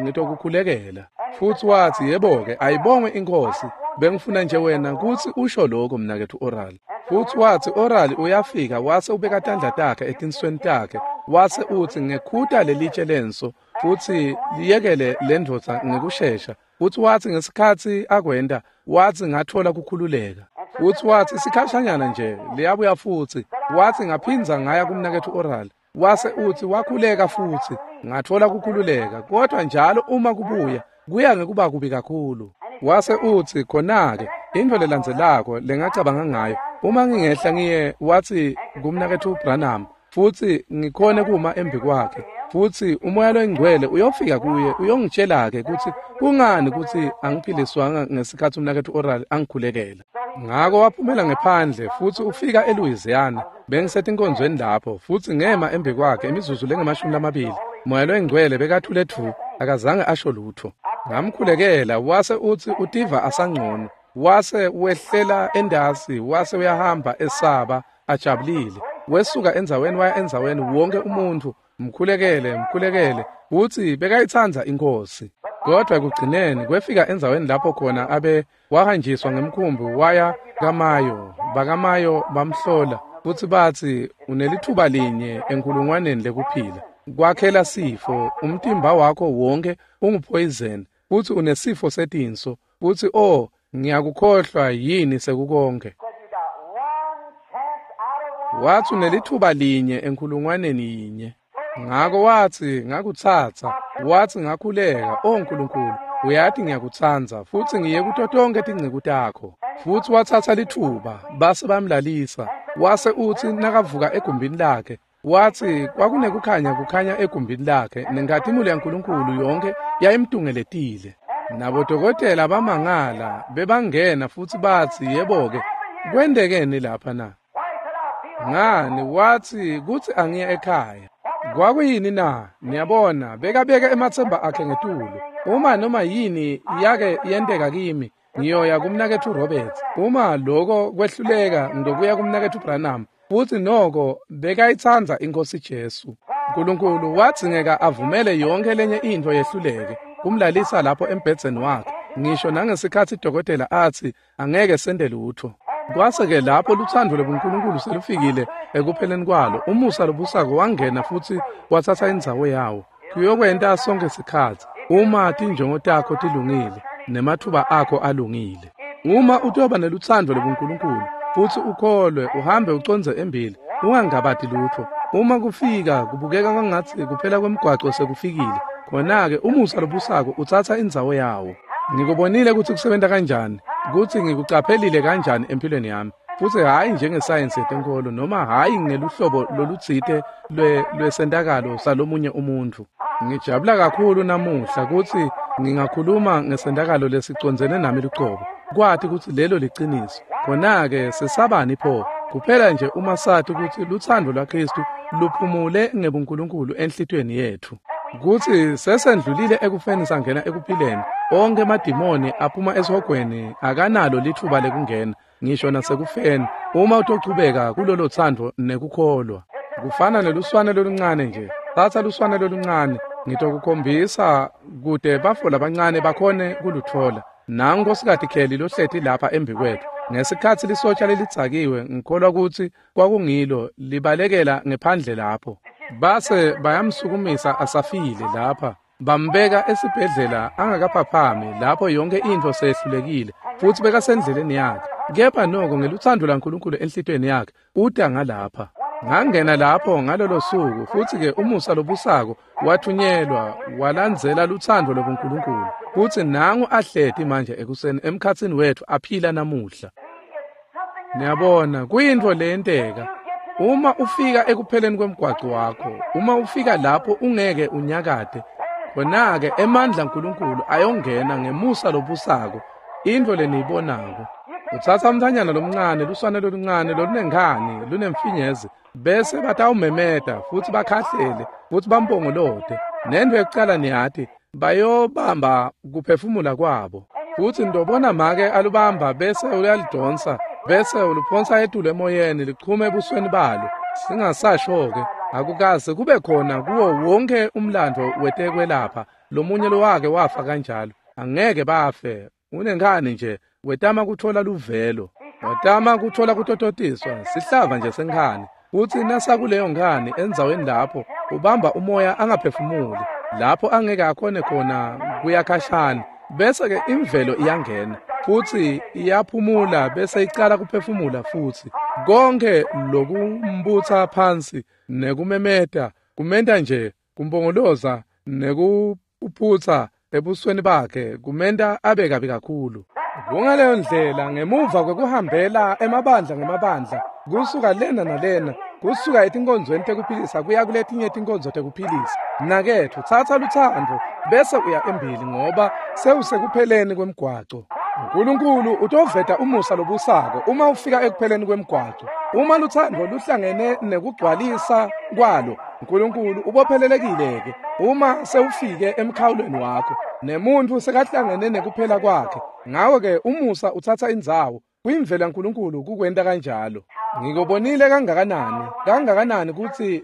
ngitokukhulekela. Futsi watsi, yebo-ke, ayibongwe iNkhosi. Bengifuna nje wena kutsi usho lokho mnaketfu Oral. Futsi watsi Oral uyafika wase ubeka tandla takhe etinsweni takhe wase utsi ngekhuta lelitshe lenso futsi liyekele lendvodza ngekushesha. Futsi watsi ngesikhatsi akwenta watsi ngathola kukhululeka. Futsi watsi sikhashanyana nje liyabuya futsi. Watsi ngaphindza ngaya kumnaketfu Oral. Wase utsi wakhuleka futsi ngathola kukhululeka, kodwa njalo uma kubuya kuya ngekuba kubi kakhulu. Wase utsi khona-ke intfo lelandzelako lengacabanga ngayo, uma ngingehla ngiye watsi kumnaketfu Branham futsi ngikhone kuma embi kwakhe, futsi umoya loyingcwele uyofika kuye uyongitshela-ke kutsi kungani kutsi angiphiliswanga ngesikhatsi umnaketfu Oral angikhulekela. Ngako waphumela ngephandle futsi ufika eLouisiana. Bengisetinkonzweni lapho futsi ngema embi kwakhe imizuzu lengamashumi 20. Moya loyingcwele bekathule thu, akazange asho lutho. Ngamkhulekela wase utsi utiva asangcono. Wase wehlela endasi wase uyahamba esaba ajabulile. Wesuka endzaweni waya endzaweni, wonke umuntfu mkhulekele mkhulekele, futsi bekayitsandza iNkhosi. Kodwa ekugcineni kwefika endzaweni lapho khona abe wahanjiswa ngemkhumbi waya kaMayo. BakaMayo bamhlola futsi batsi unelithuba linye enkulungwaneni lekuphila. Kwakhela sifo, umtimba wakho wonke unguphoyizeni futsi unesifo setinso. Futsi oh, ngiyakukhohlwa yini sekukonke. Watsi unelithuba linye enkulungwaneni yinye. Ngako watsi ngakutsatsa, watsi ngakhuleka, o Nkulunkulu, uyati ngiyakutsandza futsi ngiye kuto tonkhe tinceku takho. Futsi watsatsa lithuba, base bamlalisa. Wase utsi nakavuka egumbini lakhe, watsi kwakunekukhanya kukhanya egumbini lakhe nenkhatimulo yaNkulunkulu yonke yayimtungeletile. Nabodokotela bamangala bebangena futsi batsi, yebo-ke, kwentekeni lapha na? Ngani, watsi kutsi angiye ekhaya. Kwakuyini na? Niyabona, bekabeke ematsemba akhe ngetulu. Uma noma yini yake yenteka kimi, ngiyoya kumnaketfu Roberts. Uma lokho kwehluleka, ngiyokuya kumnaketfu Branham. Futsi noko bekayitsandza iNkhosi Jesu. Nkulunkulu wadzingeka avumele yonke lenye intfo yehluleke kumlalisa lapho embhedzeni wakhe, ngisho nangesikhatsi dokotela atsi angeke sente lutfo. Kwase-ke lapho lutsandvo lobuNkulunkulu selufikile ekupheleni kwalo, umusa lobusako wangena futsi watsatsa indzawo yawo. Kuyokwenta sonke sikhatsi uma tinjongo takho tilungile nemathuba akho alungile. Uma utoba nelutsandvo lobuNkulunkulu futsi ukholwe uhambe ucondze embili, ungangabati lutfo. Uma kufika kubukeka kwangatsi kuphela kwemgwaco sekufikile, khona-ke umusa lobusako utsatsa indzawo yawo. Ngikubonile kutsi kusebenta kanjani, kutsi ngikucaphelile kanjani empilweni yami, futsi hhayi njengesayensi yetenkolo noma hhayi ngeluhlobo lolutsite lwesentakalo salomunye umuntfu. Ngijabula kakhulu namuhla kutsi ngingakhuluma ngesentakalo lesicondzene nami lucobo, kwati kutsi lelo liciniso. Khona-ke sesabani pho? Kuphela nje uma sati kutsi lutsandvo lwaKhristu luphumule ngebuNkulunkulu enhlitiyweni yetfu, kutsi sesendlulile ekufeni sangena ekuphileni. Onke emadimoni aphuma esihogweni akanalo litfuba lekungena ngisho nasekufeni, uma utochubeka kulolo tsandvo nekukholwa. Kufana neluswane loluncane nje. Tsatsa luswane loluncane, ngitokukhombisa kute bafo labancane bakhone kulutfola. Nangu Nkhosikati Kelly lohleti lapha embi kwetfu. Ngesikhatsi lisotsha lelidzakiwe, ngikholwa kutsi kwakungilo, libalekela ngephandle lapho. Base bayamsukumisa asafile lapha, bambeka esibhedlela angakaphaphami lapho yonke intfo seyehlulekile, futsi bekasendleleni yakhe. Kepha noko ngelutsandvo lwaNkulunkulu enhlitiyweni yakhe, uta ngalapha. Ngangena lapho ngalolo suku, futsi-ke umusa lobusako wathunyelwa walandzela lutsandvo lobuNkulunkulu. Futsi nangu ahleti manje ekuseni emkhatsini wetfu aphila namuhla. Niyabona, kuyintfo leyenteka. Uma ufika ekupheleni kwemgwaco wakho, uma ufika lapho ungeke unyakate, Khona-ke emandla aNkulunkulu ayongena ngemusa lobusako, intfo leniyibonako. Utsatsa umntfwanyana lomncane, luswane loluncane lolunenkhani, lunemfinyezi, bese batawumemeta futsi bakhahlele futsi bampongolote. Nento yekucala niyati, bayobamba kuphefumula kwabo. Futsi ndobona make alubamba bese uyalidonsa, bese uluphonsa etulu emoyeni lichume ebusweni balo. Singasasho-ke, akukaze kube khona kuwo wonke umlandvo wetekwelapha lomunye lowake wafa kanjalo. Angeke bafe. Unenkhani nje, wetama kutfola luvelo, wetama kutfola kutototiswa, sihlava nje senkhani. Futsi nasakuleyo nkhani endzaweni lapho ubamba umoya angaphefumuli, lapho angeke akhone khona kuya khashana, bese-ke imvelo iyangena futsi iyaphumula bese icala kuphefumula futsi. Konke lokumbutsa phansi nekumemeta kumenta nje kumpongoloza nekuphutsa ebusweni bakhe kumenta abe kabi kakhulu. Kungaleyo ndlela ngemuva kwekuhambela emabandla ngemabandla, kusuka lena nalena, kusuka etinkonzweni tekuphilisa kuya kuletinye tinkonzo tekuphilisa. Mnaketfu, tsatsa lutsandvo bese uya embili ngoba sewusekupheleni kwemgwaco. uNkulunkulu utoveta umusa lobusako uma ufika ekupheleni kwemgwaco. Uma lutsandvo luhlangene nekugcwalisa kwalo, uNkulunkulu ubophelelekile-ke uma sewufike emkhawulweni wakho, nemuntfu sekahlangene nekuphela kwakhe. Ngako-ke umusa utsatsa indzawo. Kuyimvelo yaNkulunkulu kukwenta kanjalo. Ngikubonile kangakanani, kangakanani kutsi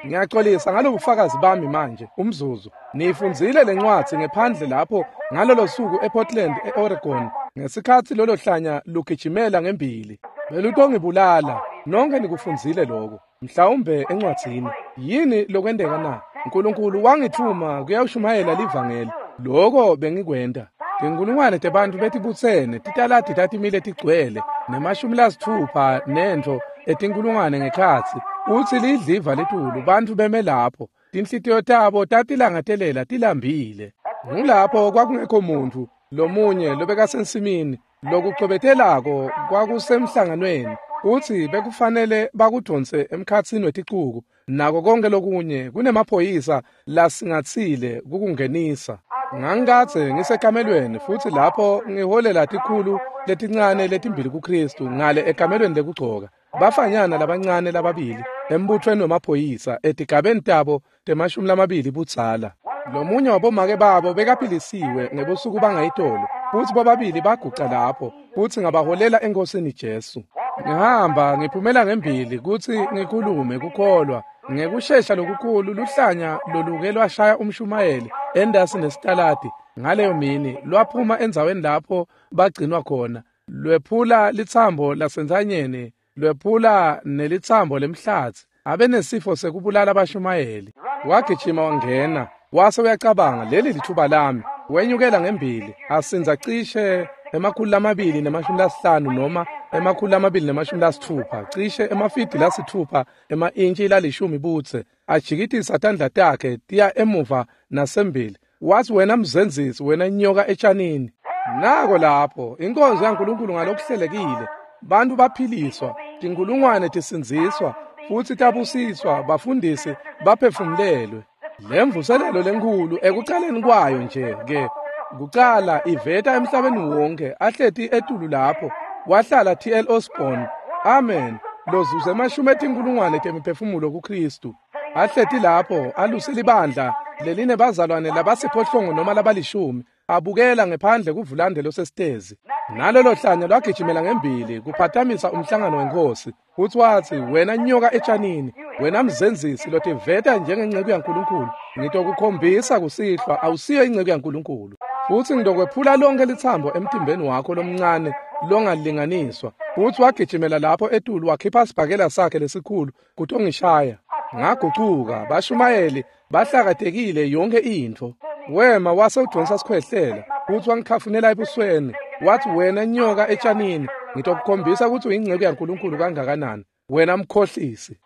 ngiyaxolisa ngalobufakazi bami manje, umzuzu. Niyifundzile lencwadzi ngephandle lapho ngalolo suku ePortland, e-Oregon, ngesikhatsi lolo hlanya lugijimela ngembili. Belutongibulala. Nonke nikufundzile lokho, mhlawumbe encwadzini. Yini lokwenteka na? uNkulunkulu wangithuma kuyawushumayela livangeli. Lokho bengikwenta. Tinkulungwane tebantfu betibutsene, titaladi tatimile tigcwele, nema-60 nentfo etinkulungwane ngekhatsi. Utsi lidliva litulu, bantfu beme lapho. Tinhlitiyo tabo tatilangatelela tilambile. Ngulapho kwakungekho muntfu lomunye lobekasensimini, lokucobetelako kwakusemhlanganweni. Utsi bekufanele bakudonse emkhatsini weticuku, nako konke lokunye kunemaphoyisa lasingatsile kukungenisa. Ngangikadze ngisekamelweni futsi lapho ngiholela tikhulu letincane letimbili kuKristu ngale ekamelweni lekugcoka. Bafanyana labancane lababili embuthweni wemaphoyisa etigabeni tabo tema-20 budzala. Lomunye wabomake babo bekaphilisiwe ngebusuku bangayitolo, futsi bobabili baguca lapho futsi ngabaholela eNkosini Jesu. Ngihamba ngiphumela ngembili kutsi ngikhulume kukholwa. Ngekushesha lokukhulu luhlanya loluke lwashaya umshumayeli endasi nesitaladi ngaleyo mini lwaphuma endzaweni lapho bagcinwa khona, lwephula litsambo lasentsanyeni, lwephula nelitsambo lemhlatsi. Abenesifo sekubulala abashumayeli. Wagijima wangena, wase uyacabanga, leli lithuba lami. Wenyukela ngembili, asinza cishe 250 noma 260, cishe emafidi 6 ema-intshi 10 budze, ajikitisa tandla takhe tiya emuva nasembili. Wathi, wena mzenzisi, wena nyoka etshanini. Nako lapho inkonzo yaNkulunkulu ngalokuhlelekile, bantu baphiliswa, tinkulungwane tisindziswa futsi tabusiswa, bafundisi baphefumulelwe. Lemvuselelo lenkhulu ekucaleni kwayo nje ke kucala iveta emhlabeni wonke ahleti etulu lapho wahlala T.L. Osborne, amen, lozuze 10,000 temiphefumulo kuKristu. Ahleti lapho aluse libandla leline bazalwane labasiphohlongo noma labalishumi, abukela ngephandle kuvulande losesitezi. Nalolo hlanya lwagijimela ngembili kuphatamisa umhlangano wenkosi. Futsi watsi, wena nyoka etshanini, wena mzenzisi lotiveta njengenceku yaNkulunkulu, ngitokukhombisa kusihlwa awusiyo inceku yaNkulunkulu. Futsi ngitokwephula lonke litsambo emtimbeni wakho lomncane longalinganiswa. Futsi wagijimela lapho etulu wakhipha sibhakela sakhe lesikhulu kutongishaya. Ngagucuka, bashumayeli bahlakatekile yonke intfo. Wema wase udonsa sikhwehlela, futsi wangikhafunela ebusweni. Wathi, wena nyoka etshanini, ngitokukhombisa kutsi uyinceku yaNkulunkulu kangakanani, wena mkhohlisi.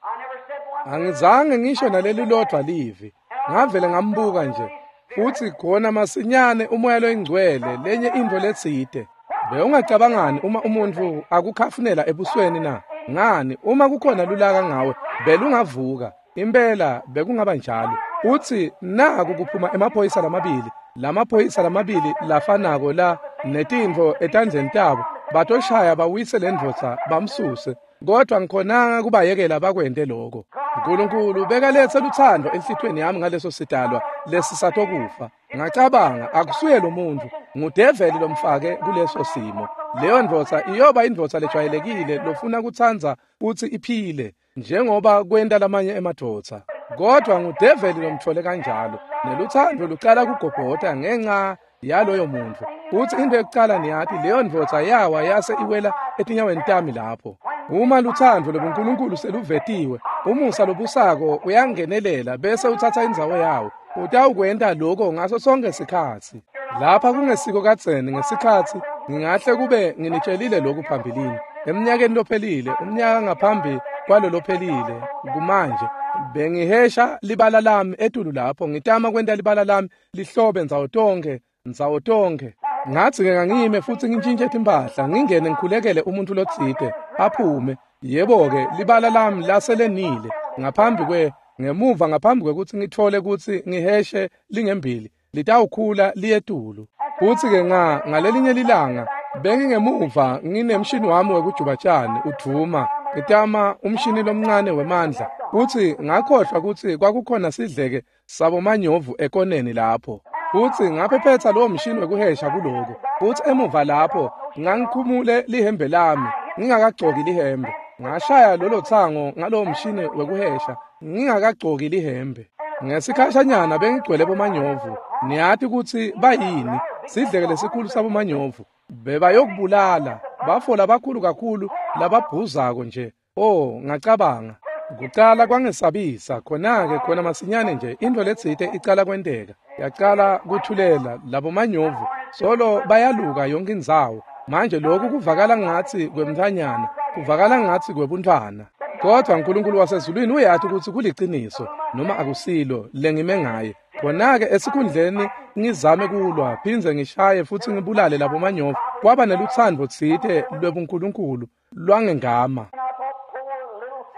Angizange ngisho naleli lodwa livi. Ngavele ngambuka nje. Futsi khona masinyane umoya loyingcwele lenye intfo letsite. Bewungacabangani uma umuntfu akukhafunela ebusweni na? Ngani, uma kukhona lulaka ngawe, belungavuka. Impela bekungaba njalo. Utsi naku kuphuma emaphoyisa lamabili, lamaphoyisa lamabili lafanako la netintfo etandleni tabo, batoshaya bawise lendvodza bamsuse. Kodwa ngikhonanga kubayekela bakwente lokho. uNkulunkulu bekalethe luthando enhlitiyweni yami ngaleso sidalwa lesisatokufa. Ngacabanga, akusuye lo muntu, ngudeveli lomfake kuleso simo. Leyo ndvodza iyoba indvodza lejwayelekile lofuna kutsandza kutsi iphile njengoba kwenta lamanye emadvodza. Kodwa ngudeveli lomtfole kanjalo, neluthando lucala kugobhota ngenxa yaloyo muntu. Futsi into yokucala niyati, leyo ndvodza yawa yase iwela etinyaweni tami lapho. Uma luthando lobuNkulunkulu seluvetiwe, umusa lobusako uyangenelela bese utsatsa indzawo yawo. Utawukwenta lokho ngaso sonke sikhatsi. Lapha kungesiko kadzeni ngesikhatsi ngingahle kube nginitshelile lokhu phambilini. Emnyakeni lophelile, umnyaka ngaphambi kwalo lophelile, kumanje bengihesha libala lami etulu lapho, ngitama kwenta libala lami lihlobe ndzawo tonke, ndzawo tonke. Ngathi-ke ngangime futhi ngintshintshe timpahla, ngingene ngikhulekele umuntu lotsite aphume. Yebo-ke, libala lami laselenile ngaphambi kwe ngemuva ngaphambi kwekutsi ngitfole kutsi ngiheshe lingembili, litawukhula liyetulu. Futsi-ke ngalelinye lilanga bengingemuva nginemshini wami wekujuba tjani udvuma, ngitama umshini lomncane wemandla. Futsi ngakhohlwa kutsi kwakukhona sidleke sabomanyovu ekoneni lapho. Futsi ngaphephetsa lowo mshini wekuhesha kuloko. Futsi emuva lapho ngangikhumule lihembe lami, ngingakagcoki lihembe. Ngashaya lolo tsango ngalowo mshini wekuhesha, ngingakagcoki lihembe. Ngesikhashanyana bengigcwele bomanyovu. Niyati kutsi bayini, sidleke lesikhulu sabomanyovu. Bebayokubulala, bafola bakhulu kakhulu lababhuzako nje. Oh, ngacabanga. Kucala kwangesabisa, khona-ke khona masinyane nje into letsite icala kwenteka. Yacala kuthulela labomanyovu, solo bayaluka yonke indzawo. Manje lokhu kuvakala ngathi kwemntfwanyana, kuvakala ngathi kwebuntfwana. Kodwa uNkulunkulu wasezulwini uyati kutsi kuliciniso noma akusilo lengime ngaye. Khona-ke esikhundleni ngizame kulwa, phindze ngishaye futsi ngibulale labomanyovu, kwaba nelutsandvo tsite lwebuNkulunkulu lwangengama.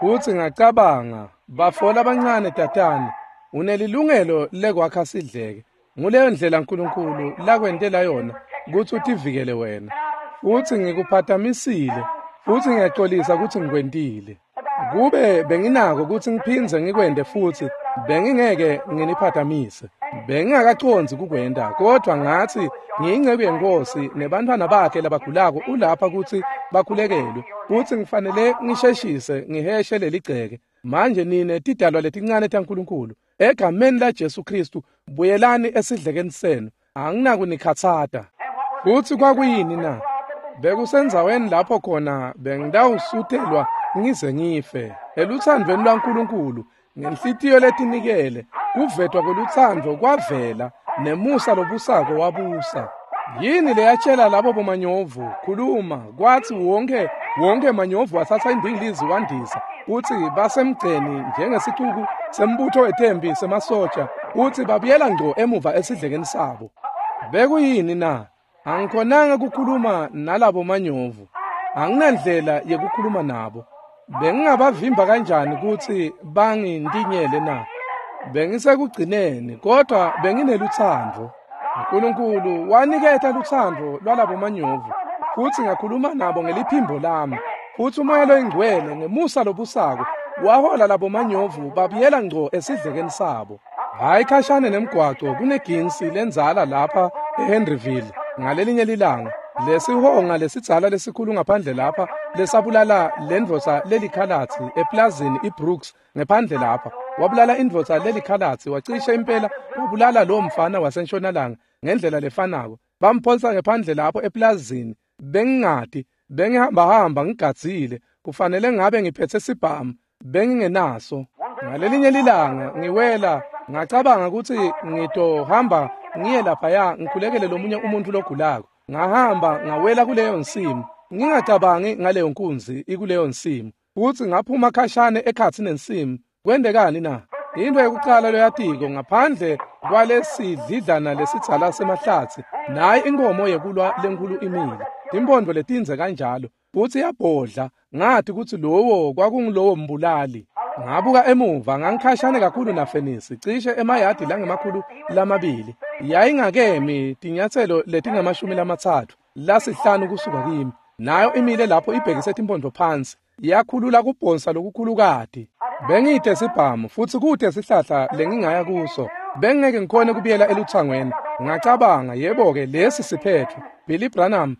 Futsi ngacabanga, bafola abancane tatane, unelilungelo lekwakha sidleke. Nguleyo ndlela uNkulunkulu lakwentela yona kutsi utivikele wena. Futsi ngikuphatamisile, futsi ngiyaxolisa kutsi ngikwentile. Kube benginako kutsi ngiphindze ngikwente futsi, bengingeke nginiphatamise. Bengingakacondzi kukwenta, kodwa ngathi ngiyinceku yeNkosi nebantfwana bakhe labagulako ulapha kutsi bakhulekelwe. Futsi ngifanele ngisheshise ngiheshe leligceke. Manje nine tidalwa letincane taNkulunkulu, egameni laJesu Kristu, buyelani esidlekeni senu. Anginakunikhatsata. Futsi kwakuyini na? Bekusendzaweni lapho khona bengitawusutelwa ngize ngife. Eluthandweni lwaNkulunkulu, ngenhlitiyo letinikele, kuvetwa kwelutsandvo kwavela, nemusa lobusako wabusa. Yini leyatshela labo bomanyovu, khuluma, kwathi wonke manyovu wathatha indingilizi wandisa, kutsi basemgceni njengesicuku sembutho wetempi semasotsha, kutsi babuyela ngco emuva esidlekeni sabo. Bekuyini na? Angikhonanga kukhuluma nalabo manyovu. Anginandlela yekukhuluma nabo. Bengingabavimba kanjani kutsi bangintinyele na? Bengisekugcineni, kodwa benginelutsandvo. uNkulunkulu waniketa lutsandvo lwalabo manyovu, futsi ngakhuluma nabo ngeliphimbo lami. Futsi uMoya loyiNgcwele ngemusa lobusako wahola labo manyovu babuyela ngco esidlekeni sabo. Hayi khashane nemgwaco kuneginsi lendzala lapha eHenryville ngalelinye lilanga. Lesihonga lesidzala lesikhulu ngaphandle lapha lesabulala lendvodza lelikhalatsi eplazini iBrooks ngephandle lapha. Wabulala indvodza lelikhalatsi, wacishe impela wabulala lowo mfana wasentshonalanga ngendlela lefanako. Bamphonsa ngephandle lapho eplazini. Bengingati, bengihambahamba ngigadzile, kufanele ngabe ngiphethe sibhamu, bengingenaso. Ngalelinye lilanga ngiwela, ngacabanga kutsi ngitohamba ngiye laphaya ngikhulekele lomunye umuntu logulako. Ngahamba ngawela kuleyo nsimu, ngingacabangi ngaleyo nkunzi ikuleyo nsimu. Futsi ngaphuma khashane ekhatsi nensimu. Kwendekani na? Into yokucala loyatiko ngaphandle kwalesidlidlana lesidzala semahlatsi, nayi inkomo yekulwa lenkulu imile, timphondvo letindze kanjalo, futsi yabhodla. Ngathi kutsi lowo kwakungulowo mbulali. Ngabuka emuva, ngangikhashane kakhulu nafenisi, cishe emayadi langama-200. Yayingakemi tinyatselo letingama-35 kusuka kimi. Nayo imile lapho ibhekise timpondo phansi, yakhulula kubhonsa lokukhulukati. Bengide sibhamu futsi kute sihlahla lengingaya kuso. Bengeke ngikhone kubuyela eluthangweni. Ngacabanga, yebo-ke, lesi siphetho. Billy Branham,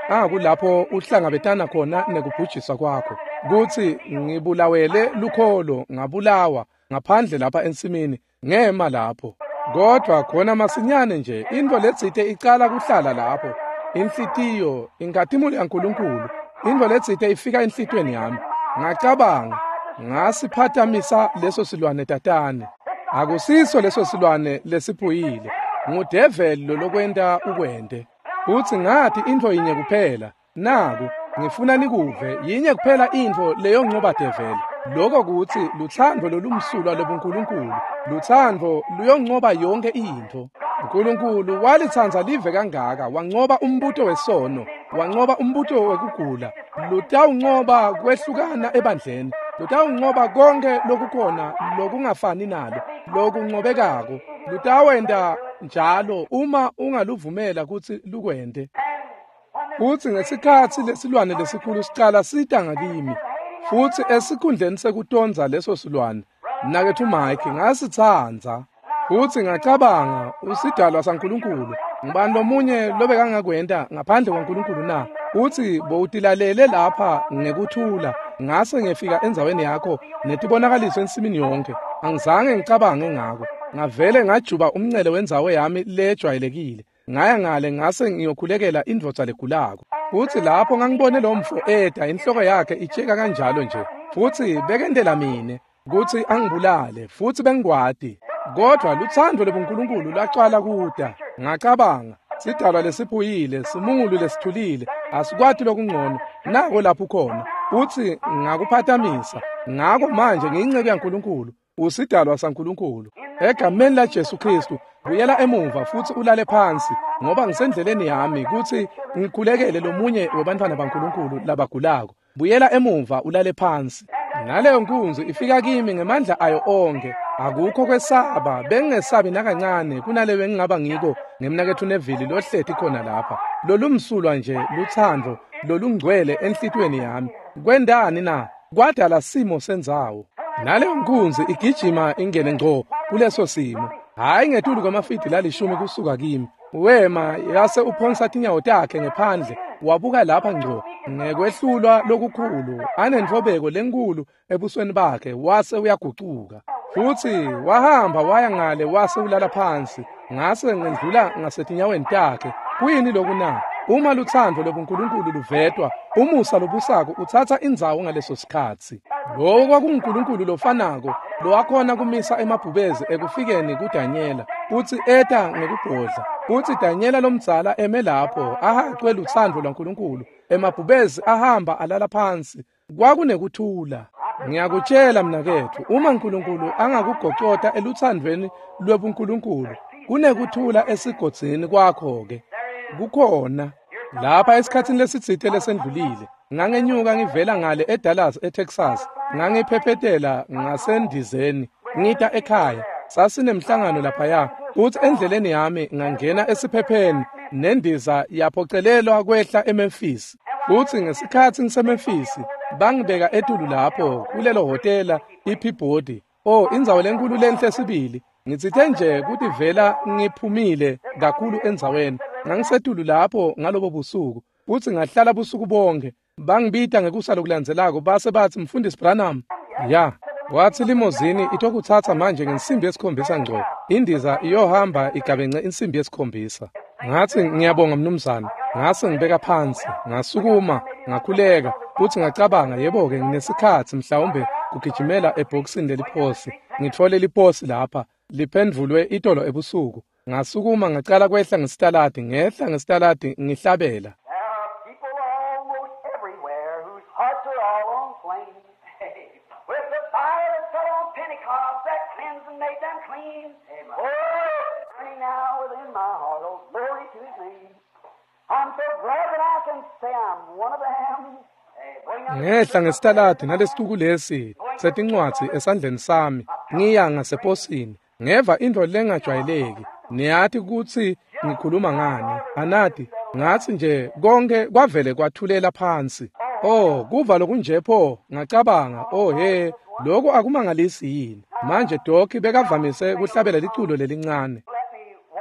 akulapho uhlangabetana khona nekubhujiswa kwakho. Kutsi ngibulawele lukholo, ngabulawa ngaphandle lapha ensimini, ngema lapho. Kodwa khona masinyane nje intfo letsite icala kuhlala lapho. Inhlitiyo, inkhatimulo yaNkulunkulu, intfo letsite ifika enhlitiyweni yami. Ngacabanga, ngasiphathamisa leso silwane tatane. Akusiso leso silwane lesiphuyile. Ngudeveli lolokwenta ukwente. Futsi ngathi intfo yinye kuphela, naku ngifuna nikuve, yinye kuphela intfo leyoncoba develi. Lokho kutsi lutsandvo lolumsulwa lobuNkulunkulu, lutsandvo luyoncoba yonke intfo. uNkulunkulu walitsandza live kangaka, wancoba umbuto wesono, wancoba umbuto wekugula, lutawuncoba kwehlukana ebandleni, lutawuncoba konke lokukhona lokungafani nalo, lokuncobekako. Lutawenta njalo uma ungaluvumela kutsi lukwente. Futsi ngesikhatsi lesilwane lesikhulu sicala sita ngakimi, futsi esikhundleni sekutondza leso silwane, mnaketfu Mike, ngasitsandza. Futsi ngacabanga, usidalwa saNkulunkulu, ngubani lomunye lobekangakwenta ngaphandle kwaNkulunkulu na? Utsi bowutilalele lapha ngekuthula, ngase ngefika endzaweni yakho netibonakaliso ensimini yonke. Angizange ngicabange ngako. Ngavele ngajuba umncele wendzawo yami lejwayelekile. Ngaya ngale ngase ngiyokhulekela indvodza legulako. Futsi lapho ngangibone lo mfo eda inhloko yakhe itsheka kanjalo nje. Futsi bekendela mine kutsi angibulale, futsi bengikwati. Kodwa lutsandvo lobuNkulunkulu lwacala kuta. Ngacabanga, sidalwa lesiphuyile, simungulu lesithulile, asikwati lokungcono, nako lapho khona. Futsi ngakuphathamisa. Ngako manje ngiyinceku yaNkulunkulu, usidalwa saNkulunkulu. Egameni laJesu Kristu, buyela emuva futsi ulale phansi, ngoba ngisendleleni yami kutsi ngikhulekele lomunye webantfwana baNkulunkulu labagulako. Buyela emuva ulale phansi. Naleyo nkunzi ifika kimi ngemandla ayo onke. Akukho kwesaba, bengingesabi nakancane kunaleyo engingaba ngiko ngemnaketfu Neville lohleti khona lapha. Lolumsulwa nje lutsandvo lolungcwele enhlitiyweni yami. Kwendani na? Kwadala simo sendzawo. Naleyo nkunzi igijima ingene ngco kuleso simo. Hhayi ngetulu kwamafidi lalishumi kusuka kimi. Wema yase uphonsa tinyawo takhe ngephandle, wabuka lapha ngco ngekwehlulwa lokukhulu, anentfobeko lenkulu ebusweni bakhe, wase uyagucuka. Futsi wahamba waya ngale wase ulala phansi. Ngase ngendlula ngasetinyaweni takhe. Kuyini loku na? Uma lutsandvo lobuNkulunkulu luvetwa, umusa lobusako utsatsa indzawo ngaleso sikhatsi. Lowo kwakunguNkulunkulu lofanako lowakhona kumisa emabhubezi ekufikeni kuDanyela, futsi eta ngekubhodla. Futsi Danyela lomdzala eme lapho ahacwe lutsandvo lwaNkulunkulu, emabhubezi ahamba alala phansi. Kwakunekuthula. Ngiyakutshela mnaketfu, uma uNkulunkulu angakugocota elutsandvweni lwebuNkulunkulu, kunekuthula esigodzini kwakho-ke. Kukhona. Lapha esikhatsini lesitsite lesendlulile, ngangenyuka ngivela ngale eDallas eTexas, ngangiphephetela ngasendizeni, ngita ekhaya. Sasinemhlangano laphaya, futsi endleleni yami ngangena esiphepheni, nendiza yaphocelelwa kwehla eMemphis. Futsi ngesikhatsi ngiseMemphis, bangibeka etulu lapho kulelo hhotela iPeabody. Oh, indzawo lenkulu lenhle sibili. Ngitsite nje kutivela ngiphumile kakhulu endzaweni. Ngangisetulu lapho ngalobo busuku, futsi ngahlala busuku bonke. Bangibita ngekusa lokulandzelako base batsi, Mfundisi Branham. Ya, watsi limozini itokutsatsa manje ngensimbi yesikhombisa ngco. Indiza iyohamba igabence insimbi yesikhombisa. Ngatsi ngiyabonga mnumzane. Ngase ngibeka phansi, ngasukuma, ngakhuleka, futsi ngacabanga, yebo-ke, nginesikhatsi mhlawumbe kugijimela ebhokisini leliposi. Ngitfole liposi lapha, liphendvulwe itolo ebusuku. Ngasukuma ngacala kwehla ngesitaladi, ngehla ngesitaladi ngihlabela. There are people almost everywhere whose hearts are all on flame. With the fire that fell on Pentecost that cleansed and made them clean. Oh, it's burning now within my heart. Oh, glory to His name. I'm so glad that I can say I'm one of them. Ngehla ngesitaladi nalesituku lesi. setincwadzi esandleni sami, ngiya ngaseposini, ngeva intfo lengajwayeleki. Niyati kutsi ngikhuluma ngani, anati? Ngatsi nje konke kwavele kwathulela phansi. Oh, kuva lokunje pho, ngacabanga, oh he, lokhu akumangalisi yini. Manje Doc bekavamise kuhlabela liculo lelincane.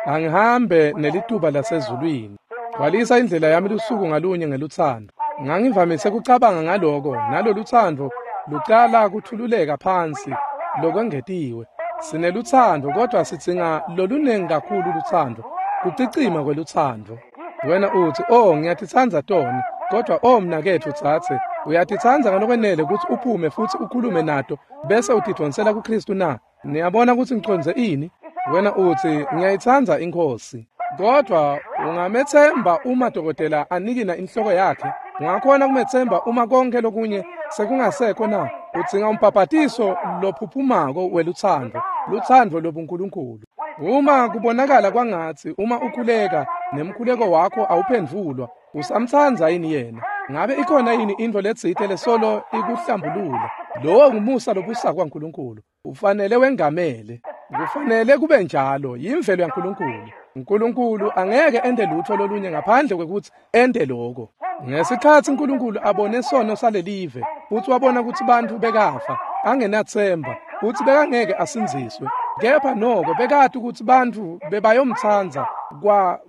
Angihambe nelituba lasezulwini. Gcwalisa indlela yami lusuku ngalunye ngelutsandvo. Ngangivamise kucabanga ngaloko, nalolutsandvo lucala kuthululeka phansi lokwengetiwe. Sinelutsandvo kodwa sidzinga lolunengi kakhulu lutsandvo, kucicima kwelutsandvo. Wena utsi, oh, ngiyatitsandza toni, kodwa oh mnaketfu dzadze, uyatitsandza ngalokwenele kutsi uphume futsi ukhulume nato bese utidvonsela kuKristu na? Niyabona kutsi ngicondze ini? Wena utsi, ngiyayitsandza iNkhosi. Kodwa ungametsemba uma dokotela anikina inhloko yakhe? Ungakhona kumetsemba uma konke lokunye sekungasekho na? Udzinga umbhabhatiso lophuphumako welutsandvo, lutsandvo lobuNkulunkulu. Uma kubonakala kwangatsi uma ukhuleka nemkhuleko wakho awuphendvulwa, usamtsandza yini yena? Ngabe ikhona yini intfo letsite lesolo ikuhlambulula? Lowo ngumusa lobusako waNkulunkulu. Ufanele wengamele. Kufanele kube njalo, yimvelo yaNkulunkulu. uNkulunkulu angeke ente lutho lolunye ngaphandle kwekutsi ente lokho. Ngesikhatsi uNkulunkulu abone sono salelive, futsi wabona kutsi bantfu bekafa, angenatsemba, futsi bekangeke asindziswe. Kepha noko bekati kutsi bantfu bebayomtsandza,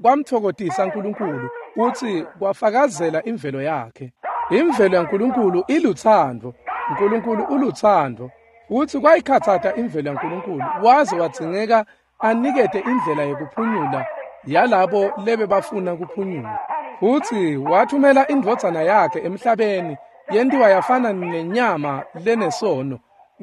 kwamtfokotisa uNkulunkulu, futsi kwafakazela imvelo yakhe. Imvelo yaNkulunkulu ilutsandvo. uNkulunkulu ulutsandvo. Futsi kwayikhatsata imvelo yaNkulunkulu, waze wadzingeka anikete indlela yekuphunyula yalabo lebebafuna kuphunyula. Futsi wathumela indvodzana yakhe emhlabeni, yentiwa yafana nenyama lenesono,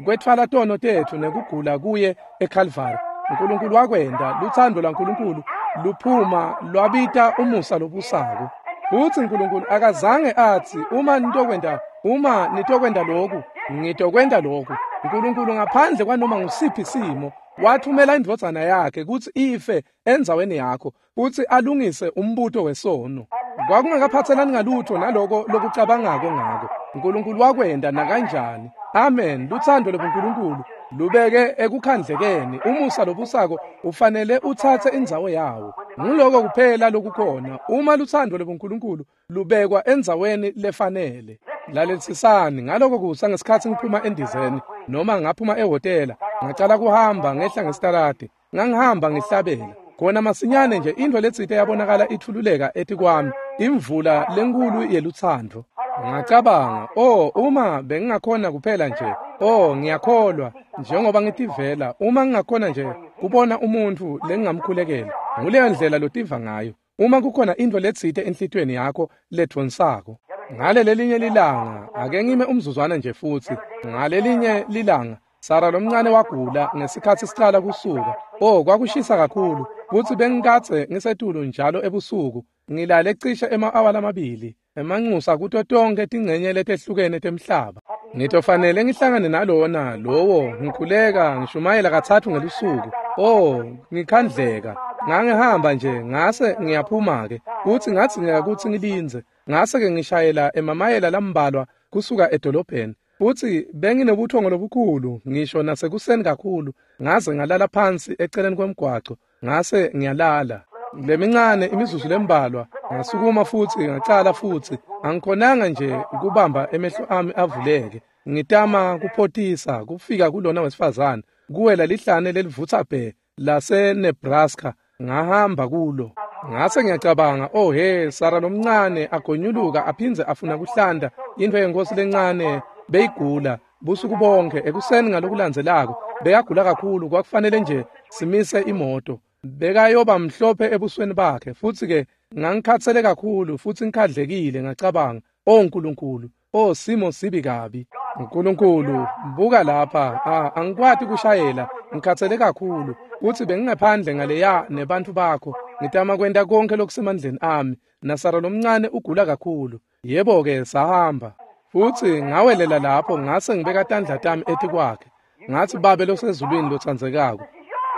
kwetfwala tono tetfu nekugula kuye eKhalvari. uNkulunkulu wakwenta, lutsandvo lwaNkulunkulu luphuma lwabita umusa lobusako. Futsi uNkulunkulu akazange atsi, uma nitokwenta lokhu, ngitokwenta lokhu. uNkulunkulu ngaphandle kwanoma ngusiphi simo wathumela indvodzana yakhe kutsi ife endzaweni yakho, futsi alungise umbuto wesono. Kwakungakaphatselani ngalutho naloko lokucabangako ngako. uNkulunkulu wakwenta nakanjani. Amen. Lutsandvo lobuNkulunkulu lubeke ekukhandlekeni. Umusa lobusako ufanele utsatse indzawo yawo. Nguloko kuphela lokukhona. Uma lutsandvo lobuNkulunkulu lubekwa endzaweni lefanele. Lalelisisani ngaloko kusa ngesikhatsi ngiphuma endizeni noma ngaphuma ehhotela, ngacala kuhamba ngehla ngesitaladi, ngangihamba ngihlabela. Khona masinyane nje intfo letsite yabonakala ithululeka etikwami, imvula lenkulu yelutsandvo. Ngacabanga, oh, uma bengingakhona kuphela nje, oh, ngiyakholwa, njengoba ngitivela, uma ngingakhona nje kubona umuntfu lengingamkhulekela. Nguleyo ndlela lotiva ngayo. Uma kukhona intfo letsite enhlitiyweni yakho ledvonsako. Ngale lelinye lilanga, ake ngime umzuzwana nje futsi. Ngalelinye lilanga, Sara lomncane wagula ngesikhatsi sicala kusuka. Oh, kwakushisa kakhulu, futsi bengikadze ngisetulu njalo ebusuku. Ngilale cishe ema-awa lamabili, emanxusa kuto tonkhe tingcenye letehlukene temhlaba. Ngitofanele ngihlangane nalona lowo, ngikhuleka, ngishumayela 3 ngelusuku. Oh, ngikhandleka. Ngangihamba nje, ngase ngiyaphuma-ke, futsi ngadzingeka kutsi ngilindze. Ngase-ke ngishayela emamayela lambalwa kusuka edolobheni. Futsi benginebuthongo lobukhulu ngisho nasekuseni kakhulu, ngaze ngalala phansi eceleni kwemgwaco, ngase ngiyalala. Lemincane imizuzu lembalwa, ngasukuma futsi ngacala futsi, angikhonanga nje kubamba emehlo ami avuleke. Ngitama kuphotisa kufika kulona wesifazane, kuwela lihlane lelivutsa bhe lase-Nebraska, ngahamba kulo. Ngase ngiyacabanga, oh he, Sara lomncane agonyuluka aphindze afuna kuhlanta intfo yenkosi lencane beyigula busuku bonke. Ekuseni ngalokulandzelako bekagula kakhulu, kwakufanele nje simise imoto. Bekayoba mhlophe ebusweni bakhe, futsi-ke ngangikhatsele kakhulu futsi ngikhandlekile. Ngacabanga, oh Nkulunkulu, oh simo sibi kabi. Nkulunkulu, buka lapha, angikwati kushayela, ngikhatsele kakhulu, futsi bengingaphandle ngaleya nebantfu bakho, ngitama kwenta konke lokusemandleni ami, naSara lomncane ugula kakhulu. Yebo-ke, sahamba. Futsi ngawelela lapho ngase ngibeka tandla tami etikwakhe. Ngatsi, Babe losezulwini lotsandzekako,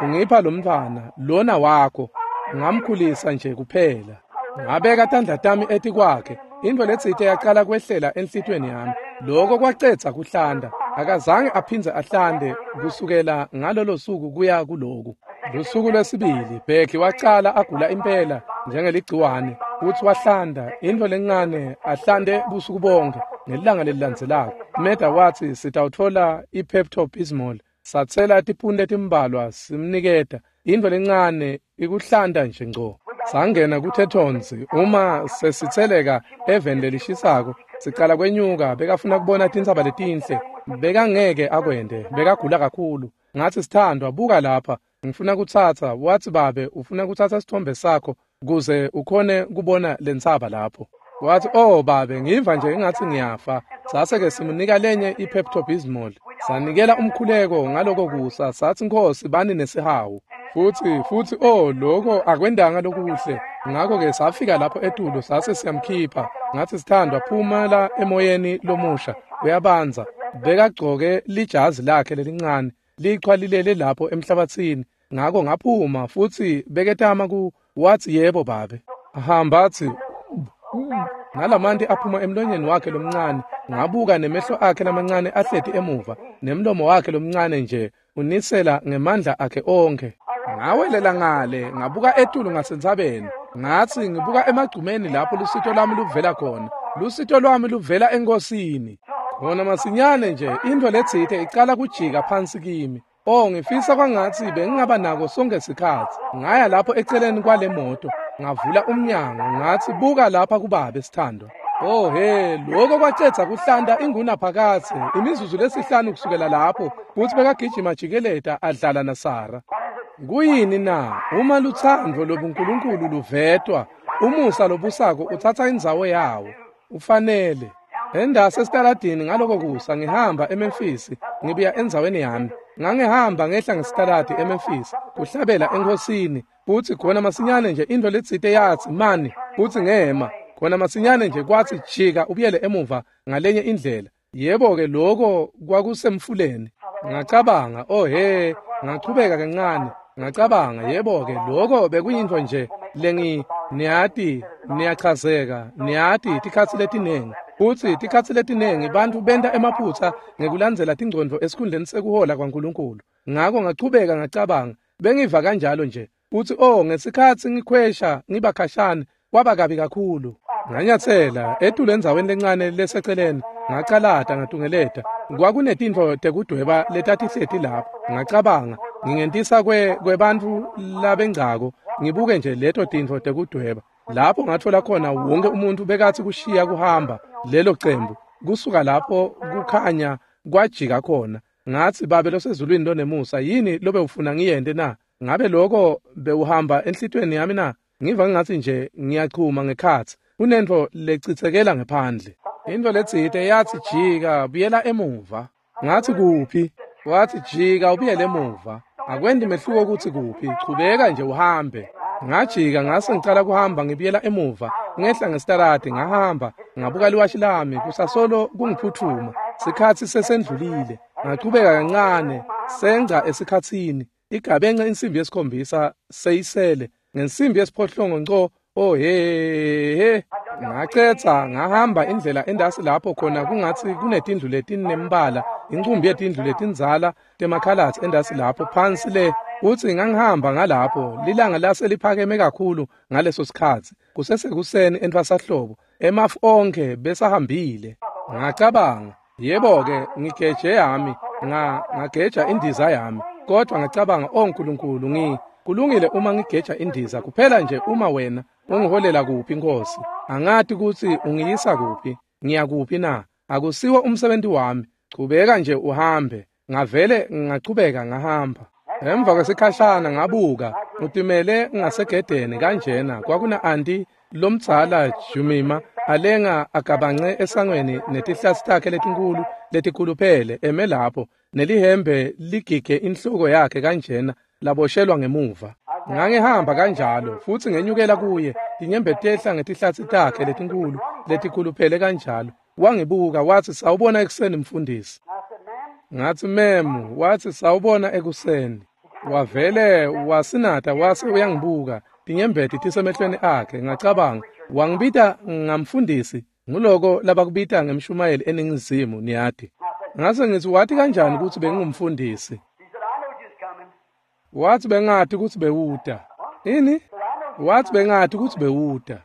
ungipha lomntfwana, lona wakho, ngamkhulisa nje kuphela. Ngabeka tandla tami etikwakhe, intfo letsite yacala kwehlela enhlitiyweni yami. Loko kwacedza kuhlanta. Akazange aphindze ahlante kusukela ngalolo suku kuya kuloku. Lusuku lwesibili Becky wacala agula impela njengeligciwane futsi wahlanta intfo lencane ahlante busuku bonke. Ngelilanga lelilandzelako Meda watsi sitawutfola i-Pepto-Bismol. Satsela tipuni letimbalwa simniketa intfo lencane ikuhlanta nje ngco. Sangena kuTetons uma sesitseleka eveni lelishisako sicala kwenyuka. Bekafuna kubona tintsaba letinhle, bekangeke akwente, bekagula kakhulu. Ngatsi, sithandwa, buka lapha, ngifuna kutsatsa. Watsi, babe, ufuna kutsatsa sithombe sakho kuze ukhone kubona lentsaba lapho. Watsi, oh babe, ngiva nje engatsi ngiyafa. Sase-ke simunika lenye i-Pepto-Bismol. Sanikela umkhuleko ngaloko kusa, satsi, Nkosi, bani nesihawu. Futsi oh, lokho akwendanga lokuhle. Ngakho-ke safika lapho etulu sase siyamkhipha. Ngatsi, sithandwa, phumela emoyeni lomusha, uyabanza. Bekagcoke lijazi lakhe lelincane, lichwa lilele lapho emhlabatsini. Ngako ngaphuma futsi beketama ku watsi, yebo babe. Hamba atsi nalamanti aphuma emlonyeni wakhe lomncane. Ngabuka nemehlo akhe lamancane ahleti emuva, nemlomo wakhe lomncane nje unisela ngemandla akhe onkhe. Ngawelela ngale, ngabuka etulu ngasentsabeni. Ngatsi ngibuka emagcumeni lapho lusito lwami luvela khona. Lusito lwami luvela eNkosini. Khona masinyane nje intfo letsite icala kujika phansi kimi. Oh, ngifisa kwangatsi bengingaba nako sonke sikhatsi. Ngaya lapho eceleni kwale moto, ngavula umnyango, ngatsi, buka lapha kubabe, sithandwa. Oh he, lokho kwacedza kuhlanta ingunaphakadze imizuzu lesihlanu kusukela lapho, futsi bekagijima jikeleta adlala naSara. Kuyini na? Uma lutsandvo lobuNkulunkulu luvetwa, umusa lobusako utsatsa indzawo yawo. Ufanele. Endase esitaladini ngaloko kusa ngihamba eMemphis, ngibuya endzaweni yami. Ngangihamba ngehla ngesitaladi eMemphis, kuhlabela eNkosini, futsi khona masinyane nje intfo letsite yatsi, mani, futsi ngema. Khona masinyane nje kwatsi, jika ubuyele emuva ngalenye indlela. Yebo-ke, lokho kwakusemfuleni. Ngacabanga, oh he, ngachubeka kancane. Ngacabanga, yebo-ke, lokho bekuyintfo nje lengi, niyati, niyachazeka, niyati tikhatsi letinengi. Futsi tikhatsi letinengi bantfu benta emaphutsa ngekulandzela tingcondvo esikhundleni sekuhola kwaNkulunkulu. Ngako ngachubeka ngacabanga, bengiva kanjalo nje. Futsi oh, ngesikhatsi ngikhwesha ngiba khashane, kwaba kabi kakhulu. Nganyatsela etulu endzaweni lencane leseceleni, ngacalata ngatungeleta. Kwakunetintfo tekudweba letatihleti lapho. Ngacabanga, ngingentisa kwebantfu labengcako, ngibuke nje leto tintfo tekudweba. Lapho ngatfola khona wonke umuntu bekatsi kushiya kuhamba lelo cembu. Kusuka lapho kukhanya kwajika khona. Ngatsi, babe losezulwini lonemusa, yini lobe ufuna ngiyente na? Ngabe lokho bewuhamba enhlitiyweni yami na? Ngiva ngatsi nje ngiyachuma ngekhatsi. Kunentfo lecitsekela ngephandle. Intfo letsite yatsi, jika, buyela emuva. Ngatsi, kuphi? Watsi, jika ubuyele emuva. Akwendi mehluko kutsi kuphi, chubeka nje uhambe. Ngajika ngase ngicala kuhamba ngibuyela emuva, ngehla ngesitaladi ngahamba, ngabuka liwashi lami kusasolo kungiphuthuma. Sikhatsi sesendlulile. Ngachubeka kancane, sengca esikhatsini. Igabenxe insimbi yesikhombisa seyisele. Ngensimbi yesiphohlongo nco, oh he he. Ngacetha ngahamba indlela endasi lapho khona kungatsi kunetindlu letinembala, incumbi yetindlu letindzala temakhalatsi endasi lapho phansi le. Utsi ngangihamba ngalapho, lilanga lase liphakeme kakhulu ngaleso sikhatsi, kusesekuseni entfwasahlobo, emafu onkhe besahambile. Ngacabanga, yebo-ke, ngigeje yami, ngageja indiza yami. Kodwa ngacabanga, oh Nkulunkulu, kulungile uma ngigeja indiza, kuphela nje uma wena ungiholela kuphi, Nkosi. Angati kutsi ungiyisa kuphi, ngiyakuphi na? Akusiwo umsebenzi wami. Chubeka nje uhambe. Ngavele ngachubeka ngahamba. Emva kwesikhashana ngabuka, utimele ngasegedeni kanjena, kwakuna anti lomdzala Jumima alenga agabance esangweni netihlasi takhe letinkulu letikhuluphele eme lapho, nelihembe ligige inhloko yakhe kanjena laboshelwa ngemuva. Ngangihamba kanjalo futsi ngenyukela kuye, tinyembeti tehla ngetihlatsi takhe letinkulu letikhuluphele kanjalo. Wangibuka watsi, sawubona ekuseni mfundisi. Ngatsi, memu. Watsi, sawubona ekuseni. Wavele wasinata wase uyangibuka, tinyembeti tisemehlweni akhe. Ngacabanga, wangibita ngamfundisi, nguloko labakubita ngemshumayeli eNingizimu, niyati. Ngase ngithi, wati kanjani kutsi bengingumfundisi? Wathi bengati kutsi bewuta. Ini? Wathi bengati kutsi bewuta.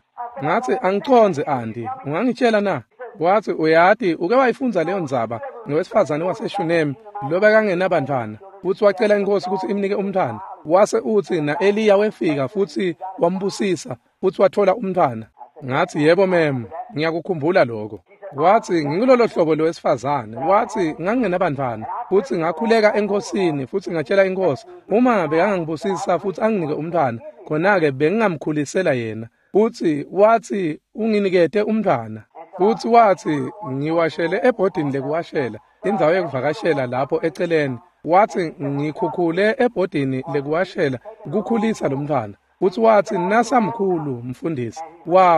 Ngathi, angicondze Andi, ungangitshela na? Wathi, uyati, uke wayifundza leyo ndzaba ngowesifazane waseShunemi lobekangenabantwana, futsi wacela inkosi kutsi imnike umntwana. Wase utsi na-Eliya wefika futsi wambusisa futsi wathola umntwana. Ngathi, yebo mem, ngiyakukhumbula lokho. Wathi, ngingulolo hlobo lowesifazane. Wathi, ngangingenabantwana futsi ngakhuleka enkosini futsi ngatshela inkosi uma bekangangibusisa futsi anginike umntwana, khona-ke bengingamkhulisela yena. Futsi wathi, unginikete umntwana. Futsi wathi, ngiwashele ebhodini lekuwashela, indzawo yekuvakashela lapho eceleni. Wathi, ngikhukhule ebhodini lekuwashela kukhulisa lo mntwana. Futsi wathi, nasamkhulu mfundisi,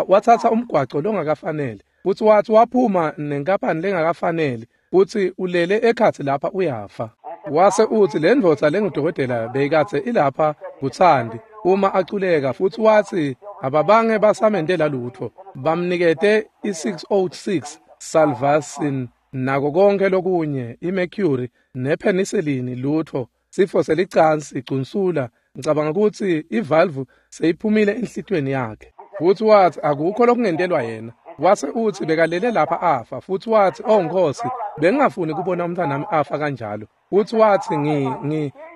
wathatha umgwaco longakafanele. Futsi wathi waphuma nenkampani lengakafanele, futsi ulele ekhatsi lapha uyafa. Wase utsi le ndvodza lengudokotela beyikadze ilapha kutsandi uma aculeka, futsi wathi ababange basamentela lutfo, bamnikete i-606 Salvarsan nako konke lokunye, imercury nepenicillin, lutfo, sifo selicansi, igcunsula. Ngicabanga kutsi ivalve seyiphumile enhlitiyweni yakhe. Futsi wathi akukho lokungentelwa yena. Wase utsi bekalele lapha afa. Futsi wathi, oh Nkosi, bengingafuni kubona umntwanami afa kanjalo. Futsi wathi,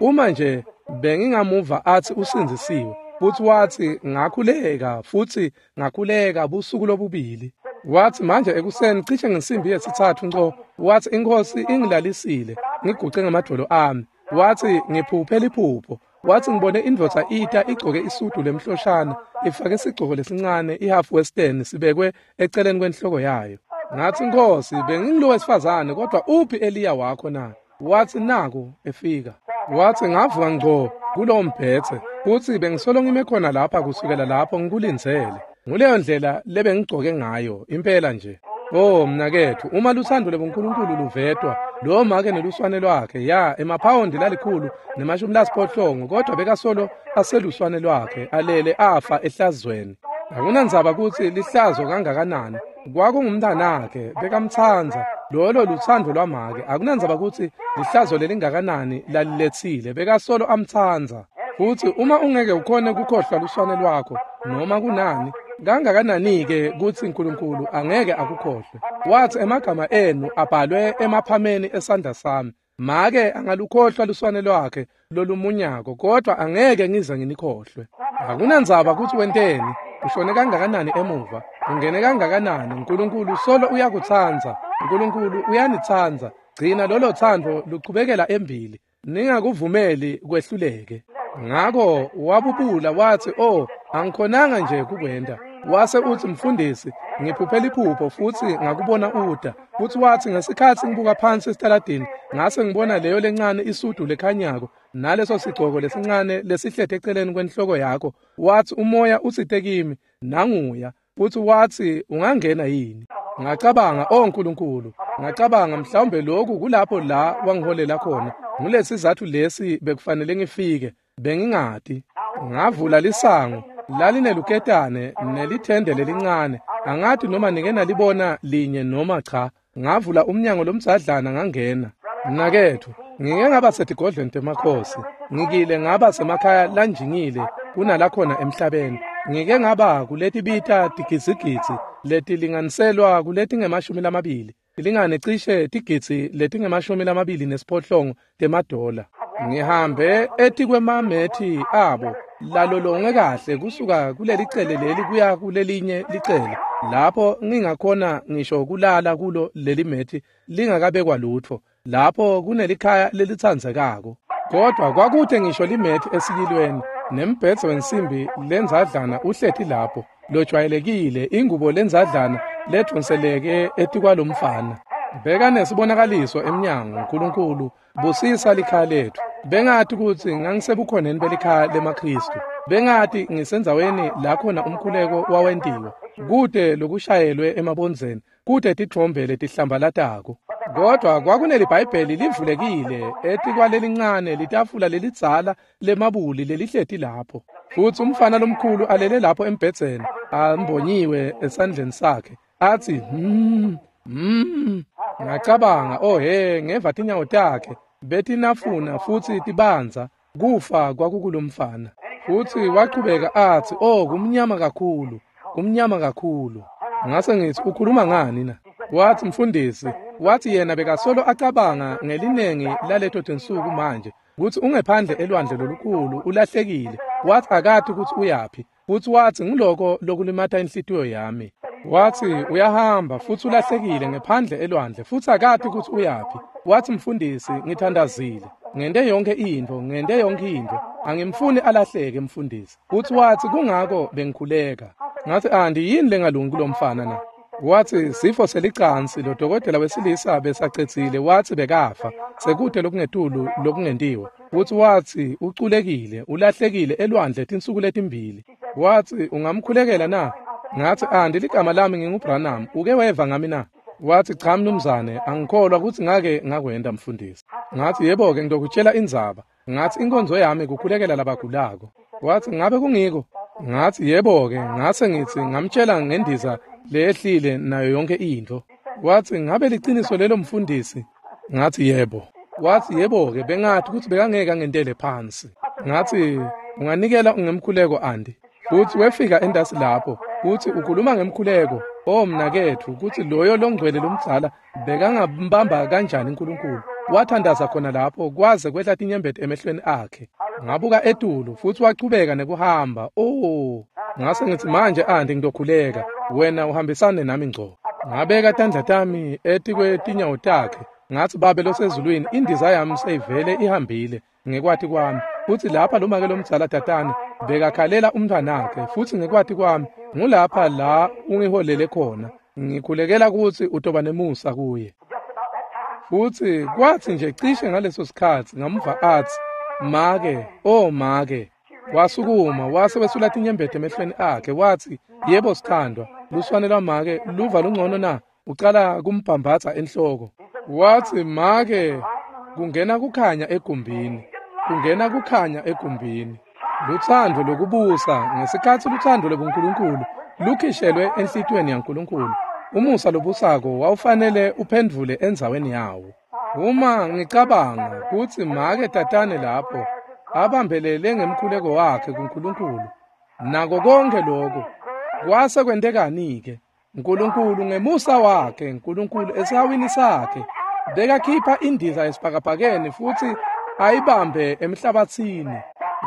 uma nje bengingamuva athi usindzisiwe. Futsi wathi ngakhuleka futsi ngakhuleka busuku lobubili. Wathi manje ekuseni cishe ngensimbi yesithathu nco, wathi inkosi ingilalisile, ngiguce ngamadvolo ami. Wathi ngiphuphe liphupho. Wathi ngibone indvodza ita igcoke isudu lemhloshana, ifake isigcoko lesincane i-half western sibekwe eceleni kwenhloko yayo. Ngathi, Nkosi, bengingilo wesifazane, kodwa uphi Eliya wakho na? Wathi naku efika. Wathi ngavuka ngco kulowo mbhedze, futsi bengisolo ngime khona lapha kusukela lapho ngikulindzele. Nguleyo ndlela lebengigcoke ngayo impela nje. Oh mnaketfu, uma lutsandvo lwebuNkulunkulu luvetwa, lowo make neluswane lwakhe, ya emaphawondi lalikhulu ne-80, kodwa bekasolo aseluswane lwakhe, alele afa ehlazweni. Akunandzaba kutsi lihlazo kangakanani, kwakungumntanakhe, bekamtsandza. Lolo lutsandvo lwamake. Akunandzaba kutsi lihlazo lelingakanani laliletsile, bekasolo amtsandza. Futsi uma ungeke ukhone kukhohlwa luswane lwakho noma kunani, kangakanani-ke kutsi Nkulunkulu angeke akukhohlwe. Wathi emagama enu abhalwe emaphameni esandla sami. Make angalukhohlwa luswane lwakhe lolumunyako, kodwa angeke ngize nginikhohlwe. Akunandzaba kutsi wenteni, ushone kangakanani emuva, ungene kangakanani, Nkulunkulu solo uyakutsandza. Nkulunkulu uyanitsandza. Gcina lolo tsandvo luchubekela embili, ningakuvumeli kwehluleke. Ngako wabubula wathi, oh, angikhonanga nje kukwenta. Wase utsi, mfundisi, ngiphuphe liphupho futsi ngakubona uta. Futsi wathi ngesikhatsi ngibuka phansi esitaladini, ngase ngibona leyo lencane isudu lekhanyako naleso sigcoko lesincane lesihlete eceleni kwenhloko yakho. Wathi umoya utsite kimi, nanguya. Futsi wathi ungangena yini? Ngacabanga, oh Nkulunkulu, ngacabanga mhlawumbe lokhu kulapho la wangiholela khona. Ngulesizathu lesi bekufanele ngifike, bengingati. Ngavula lisango, lalineluketane nelithende lelincane. Angathi noma nike nalibona linye noma cha. Ngavula umnyango lomdzadlana ngangena. Mnaketfu, ngike ngaba setigodlweni temakhosi. Ngikile ngaba semakhaya lanjingile kunalakhona emhlabeni. Ngike ngaba kuletibita tigidzigidzi letilinganiselwa kuletinge-20, tilingane cishe tigidzi letinge-28 temadola. Ngihambe etikwemamethi abo lalolongwe kahle kusuka kulelicele leli kuya kulelinye licele, lapho ngingakhona ngisho kulala kulo leli methi lingakabekwa lutfo, lapho kunelikhaya lelitsandzekako. Kodwa kwakute ngisho limethi esiyilweni, nembhedze wensimbi lendzadlana uhleti lapho, lojwayelekile, ingubo lendzadlana ledonseleke etikwalomfana. Bekanesibonakaliso emnyango, Nkulunkulu busisa likhaya letfu. Bengati kutsi ngangisebukhoneni belikhaya lemaKhristu. Bengati ngisendzaweni la khona umkhuleko wawentiwa, kute lokushayelwe emabondzeni, kute titfombe letihlambalatako. Kodwa kwakuneliBhayibheli livulekile etikwalelincane litafula lelidzala lemabuli lelihleti lapho. Futsi umfana lomkhulu alele lapho embhedzeni, ambonyiwe esandleni sakhe, athi. Ngacabanga, oh he, ngeva tinyawo takhe betinafuna futsi tibandza, kufa kwakukulomfana. Futsi wachubeka atsi, oh, kumnyama kakhulu, kumnyama kakhulu. Ngase ngithi, ukhuluma ngani na? Wathi, mfundisi, wathi yena bekasolo acabanga ngelinengi laleto tinsuku manje, kutsi ungephandle elwandle lolukhulu, ulahlekile. Wathi akati kutsi uyaphi, futsi wathi ngiloko lokulimata inhlitiyo yami. Wathi uyahamba futsi ulahlekile ngephandle elwandle futsi akati kutsi uyaphi. Wathi, mfundisi, ngithandazile, ngente yonke intfo, ngente yonke intfo, angimfuni alahleke mfundisi. Futsi wathi kungako bengikhuleka. Ngathi, andi yini lengalungi kulomfana na? Wathi sifo selicansi, lo dokotela wesilisa besacedzile, wathi bekafa, sekude lokungetulu lokungentiwa. Futsi wathi uculekile, ulahlekile elwandle tinsuku letimbili. Wathi ungamkhulekela na? Ngathi, andi ligama lami nginguBranham, uke weva ngami na? Wathi, cha mnumzane, angikholwa kutsi ngake ngakwenta mfundisi. Ngathi, yebo-ke ngitokutshela indzaba. Ngathi inkonzo yami kukhulekela labagulako. Wathi ngabe kungiko? Ngathi yebo-ke. Ngase ngithi ngamtshela ngendiza leyehlile nayo yonke intfo. Wathi ngabe liciniso lelo mfundisi? Ngathi yebo. Wathi yebo-ke, bengathi kutsi bekangeke angentele phansi. Ngathi unganikela ngemkhuleko andi. Futsi wefika entasi lapho, kutsi ukhuluma ngemkhuleko. Oh mnaketfu, kutsi loyo longcwele lomdzala bekangambamba kanjani uNkulunkulu. Wathandaza khona lapho kwaze kwehla tinyembeti emehlweni akhe. Ngabuka etulu futsi wachubeka nekuhamba. Oh, ngase ngithi manje andi ngitokhuleka, wena uhambisane nami ngco. Ngabeka tandla tami etikwetinyawo takhe. Ngathi, Babe losezulwini, indiza yami seyivele ihambile ngekwati kwami. Futsi lapha lomake lomdzala tatane bekakhalela umntwanakhe, futsi ngekwati kwami ngulapha la ungiholele khona. Ngikhulekela kutsi utoba nemusa kuye. Futsi kwathi nje cishe ngaleso sikhatsi ngamva atsi, make, oh make. Wasukuma wase wesula tinyembeti emehlweni akhe, wathi, yebo sithandwa, luswane lwamake luva lungcono na? Ucala kumbhambatsa enhloko. Wathi, make, kungena kukhanya egumbini, kungena kukhanya egumbini. Lutsandvo lokubusa ngesikhatsi lutsandvo lobuNkulunkulu lukhishelwe enhlitiyweni yaNkulunkulu. Umusa lobusako wawufanele uphendvule endzaweni yawo. Uma ngicabanga kutsi make tatane lapho abambelele ngemkhuleko wakhe kuNkulunkulu, nako konke lokho kwase kwentekani-ke? Nkulunkulu ngemusa wakhe, Nkulunkulu esihawini sakhe, bekakhipha indiza esibhakabhakeni futsi ayibambe emhlabatsini.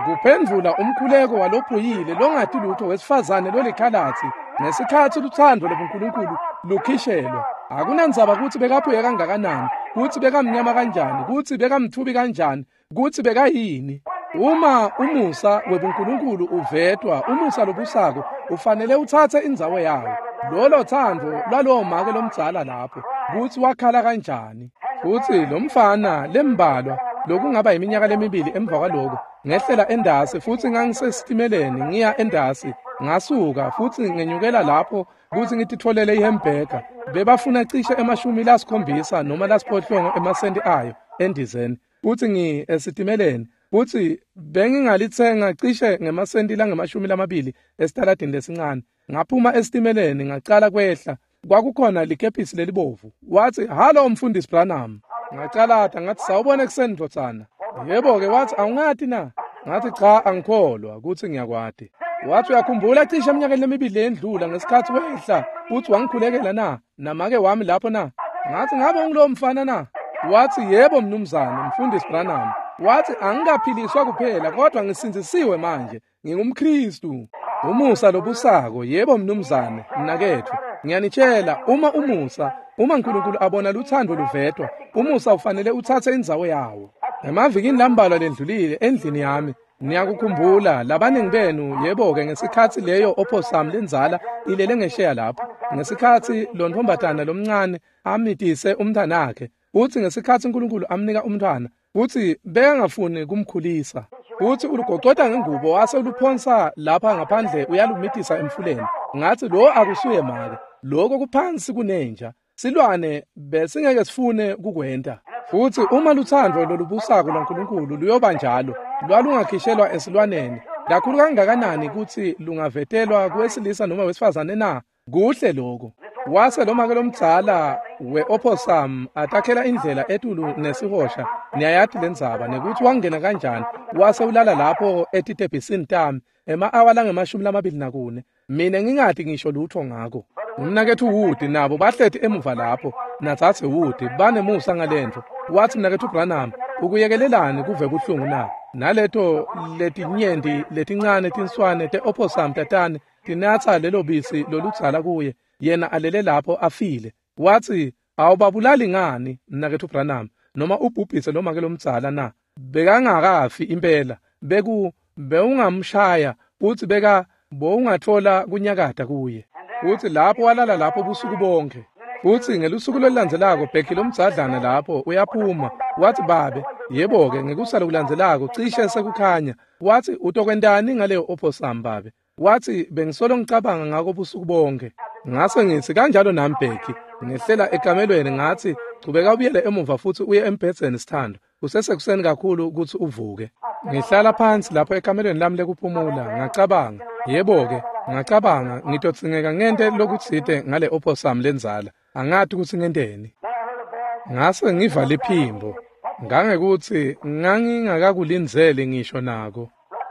Kuphendvula umkhuleko walophuyile longati lutho wesifazane lolikhalatsi ngesikhatsi lutsandvo lobuNkulunkulu lukhishelwa. Akunandzaba kutsi bekaphuye kangakanani, kutsi bekamnyama kanjani, kutsi bekamtfubi kanjani, kutsi bekayini. Uma umusa webuNkulunkulu uvetwa, umusa lobusako ufanele utsatse indzawo yawo. Lolo tsandvo lwalowo make lomdzala lapho, kutsi wakhala kanjani. Futsi lomfana lembalwa lokungaba iminyaka lemibili emva kwaloko, ngehlela endasi futsi ngangisesitimeleni ngiya endasi, ngasuka futsi ngenyukela lapho kutsi ngititfolele ihamburger. Bebafuna cishe 70 noma 80 emasenti ayo endizeni, futsi ngi esitimeleni, futsi bengingalitsenga cishe ngemasenti langama-20 esitaladini lesincane. Ngaphuma esitimeleni ngacala kwehla, kwakukhona likepisi lelibovu. Wathi, halo mfundisi Branham. Ngacalata ngathi, sawubona ekuseni ndvodzana. Yebo-ke, wathi awungati na? Ngathi cha, angikholwa kutsi ngiyakwati. Wathi uyakhumbula cishe eminyakeni lemibili leyendlula ngesikhatsi wehla utsi wangikhulekela na? Namake wami lapho na? Ngathi ngabe ungulowo mfana na? Wathi yebo mnumzane, mfundisi Branham. Wathi angikaphiliswa kuphela kodwa ngisindzisiwe manje, ngingumKristu. Umusa lobusako, yebo mnumzane, mnaketfu. Ngiyanitshela, uma umusa, uma uNkulunkulu abona lutsandvo luvetwa, umusa ufanele utsatse indzawo yawo. Emavikini lambalwa lendlulile endlini yami, niyakukhumbula labaningi benu, yebo-ke, ngesikhatsi leyo opossum lendzala ilele ngesheya lapho, ngesikhatsi lo ntombazana lomncane amitise umntwanakhe, futsi ngesikhatsi uNkulunkulu amnika umntwana, futsi bekangafuni kumkhulisa, futsi ulugocota ngengubo wase uluphonsa lapha ngaphandle uyalumitisa emfuleni. Ngathi lo akusuye make, lokho kuphansi kunenja, silwane besingeke sifune kukwenta. Futsi uma lutsandvo lolubusako lwaNkulunkulu luyoba njalo, lwalungakhishelwa esilwaneni, kakhulu kangakanani kutsi lungavetelwa kuwesilisa noma wesifazane na? Kuhle lokho. Wase lomake lomdzala we-opossum atakhela indlela etulu nesihosha, niyayati lendzaba, nekutsi wangena kanjani, wase ulala lapho etitebhisini tami ema-awa langama-24, mina ngingati ngisho lutho ngako. Umnaketfu Wood nabo bahleti emuva lapho, natsatse Wood, banemusa ngalentfo. Watsi, Mnaketfu Branham, ukuyekelelani kuve buhlungu na? Naleto letinyenti letincane tinswane te-opossum tatane tinatsa lelo bisi loludzala kuye, yena alele lapho afile. Watsi, awubabulali ngani, Mnaketfu Branham, noma ubhubhise lomake lomdzala na? Bekangakafi impela, bewungamshaya, futsi bowungatfola kunyakata kuye. Futsi lapho walala lapho busuku bonke. Futsi ngelusuku lolulandzelako Becky lomdzadlana lapho uyaphuma. Watsi, babe, yebo-ke, ngekusala kulandzelako cishe sekukhanya. Watsi, utokwentani ngaleyo opossum, babe? Watsi, bengisolo ngicabanga ngako busuku bonke. Ngase ngitsi, kanjalo nami Becky. Ngehlela ekamelweni ngatsi, chubeka ubuyele emuva futsi uye embhedzeni sithando. Kusesekuseni kakhulu kutsi uvuke. Ngihlala phansi lapho ekamelweni lami lekuphumula, ngacabanga, yebo-ke, ngacabanga ngitodzingeka ngente lokutsite ngale opossum lendzala. Angati kutsi ngenteni. Ngase ngiva liphimbo, ngangekutsi ngangingakakulindzeli ngisho nako.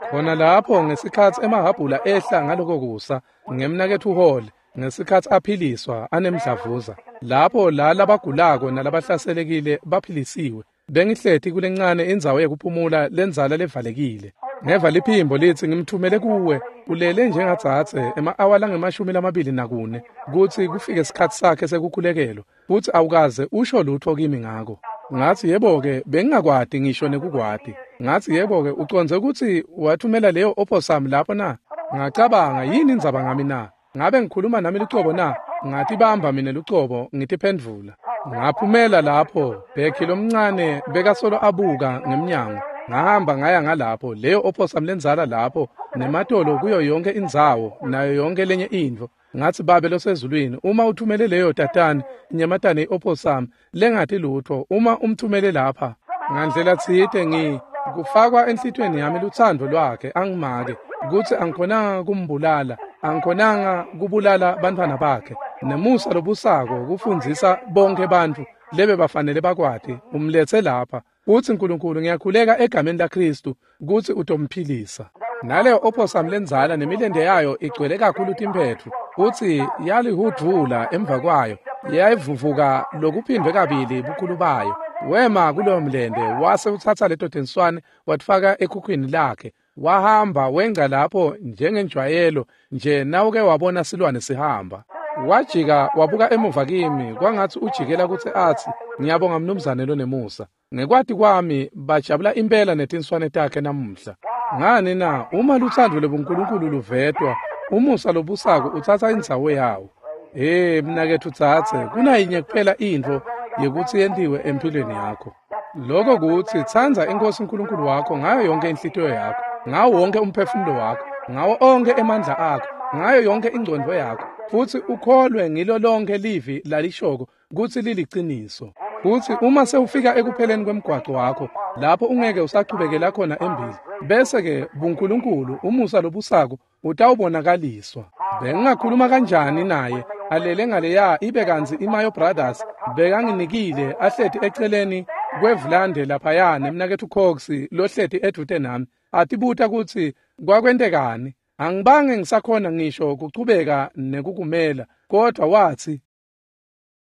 Khona lapho ngesikhatsi emahhabhula ehla ngaloko kusa, ngemnaketfu Hall, ngesikhatsi aphiliswa anemdlavuza. Lapho la labagulako nalabahlaselekile baphilisiwe. Bengihleti kulencane indzawo yekuphumula lendzala levalekile. Ngeva liphimbo litsi, ngimthumele kuwe, ulele njengadzadze ema-awa langama-24 kutsi kufike isikhatsi sakhe sekukhulekelwa, futsi awukaze usho lutho kimi ngako. Ngatsi, yebo-ke, bengingakwati ngisho nekukwati. Ngatsi, yebo-ke, ucondze kutsi wathumela leyo opossum lapho na? Ngacabanga, yini indzaba ngami na? Ngabe ngikhuluma nami lucobo na? Ngatibamba mina lucobo, ngitiphendvula. Ngaphumela lapho, Becky lomncane bekasolo abuka ngemnyango. Ngahamba ngaya ngalapho, leyo opossum lendzala lapho, nematolo kuyo yonke indzawo, nayo yonke lenye intfo. Ngatsi, Babe losezulwini, uma uthumele leyo tatane, inyamatane i-opossum, lengati lutho, uma umthumele lapha, ngandlela tsite kufakwa enhlitiyweni yami lutsandvo lwakhe angimake, kutsi angikhonanga kumbulala, angikhonanga kubulala bantfwana bakhe. Nemusa lobusako kufundzisa bonke bantfu lebe bafanele bakwati, umletse lapha. Utsi Nkulunkulu, ngiyakhuleka egameni laKhristu kutsi utomphilisa. Naleyo opossum lendzala nemilente yayo igcwele kakhulu timphetfu, utsi yalihudvula emva kwayo, yayivuvuka lokuphindwe kabili bukhulu bayo. Wema kuloyo mlente, wase utsatsa leto tinswane watifaka ekhukhwini lakhe. Wahamba wengca lapho njengenjwayelo nje nawuke wabona silwane sihamba. Wajika wabuka emuva kimi kwangatsi ujikela kutsi atsi, ngiyabonga mnumzane lonemusa. Ngekwati kwami bajabula impela netinswane takhe namuhla. Ngani na, uma lutsandvo lobuNkulunkulu luvetwa, umusa lobusako utsatsa indzawo yawo. Hey mnaketfu dzadze, kunayinye kuphela intfo yekutsi yentiwe empilweni yakho. Lokho kutsi tsandza iNkosi uNkulunkulu wakho ngayo yonke inhlitiyo yakho, ngawo wonke umphefumulo wakho, ngawo onke emandla akho, ngayo yonke ingcondvo yakho, futsi ukholwe ngilo lonke livi lalishoko kutsi liliciniso. Futsi uma sewufika ekupheleni kwemgwaco wakho, lapho ungeke usachubekela khona embili, bese-ke buNkulunkulu umusa lobusako utawubonakaliswa. Bengingakhuluma kanjani naye alele ngaleya ibe kantsi iMayo Brothers bekanginikile ahleti eceleni kwevulande laphaya nemnaketfu Cox lohleti edvute nami, atibuta kutsi kwakwentekani. Angibange ngisakhona ngisho kuchubeka nekukumela, kodwa watsi,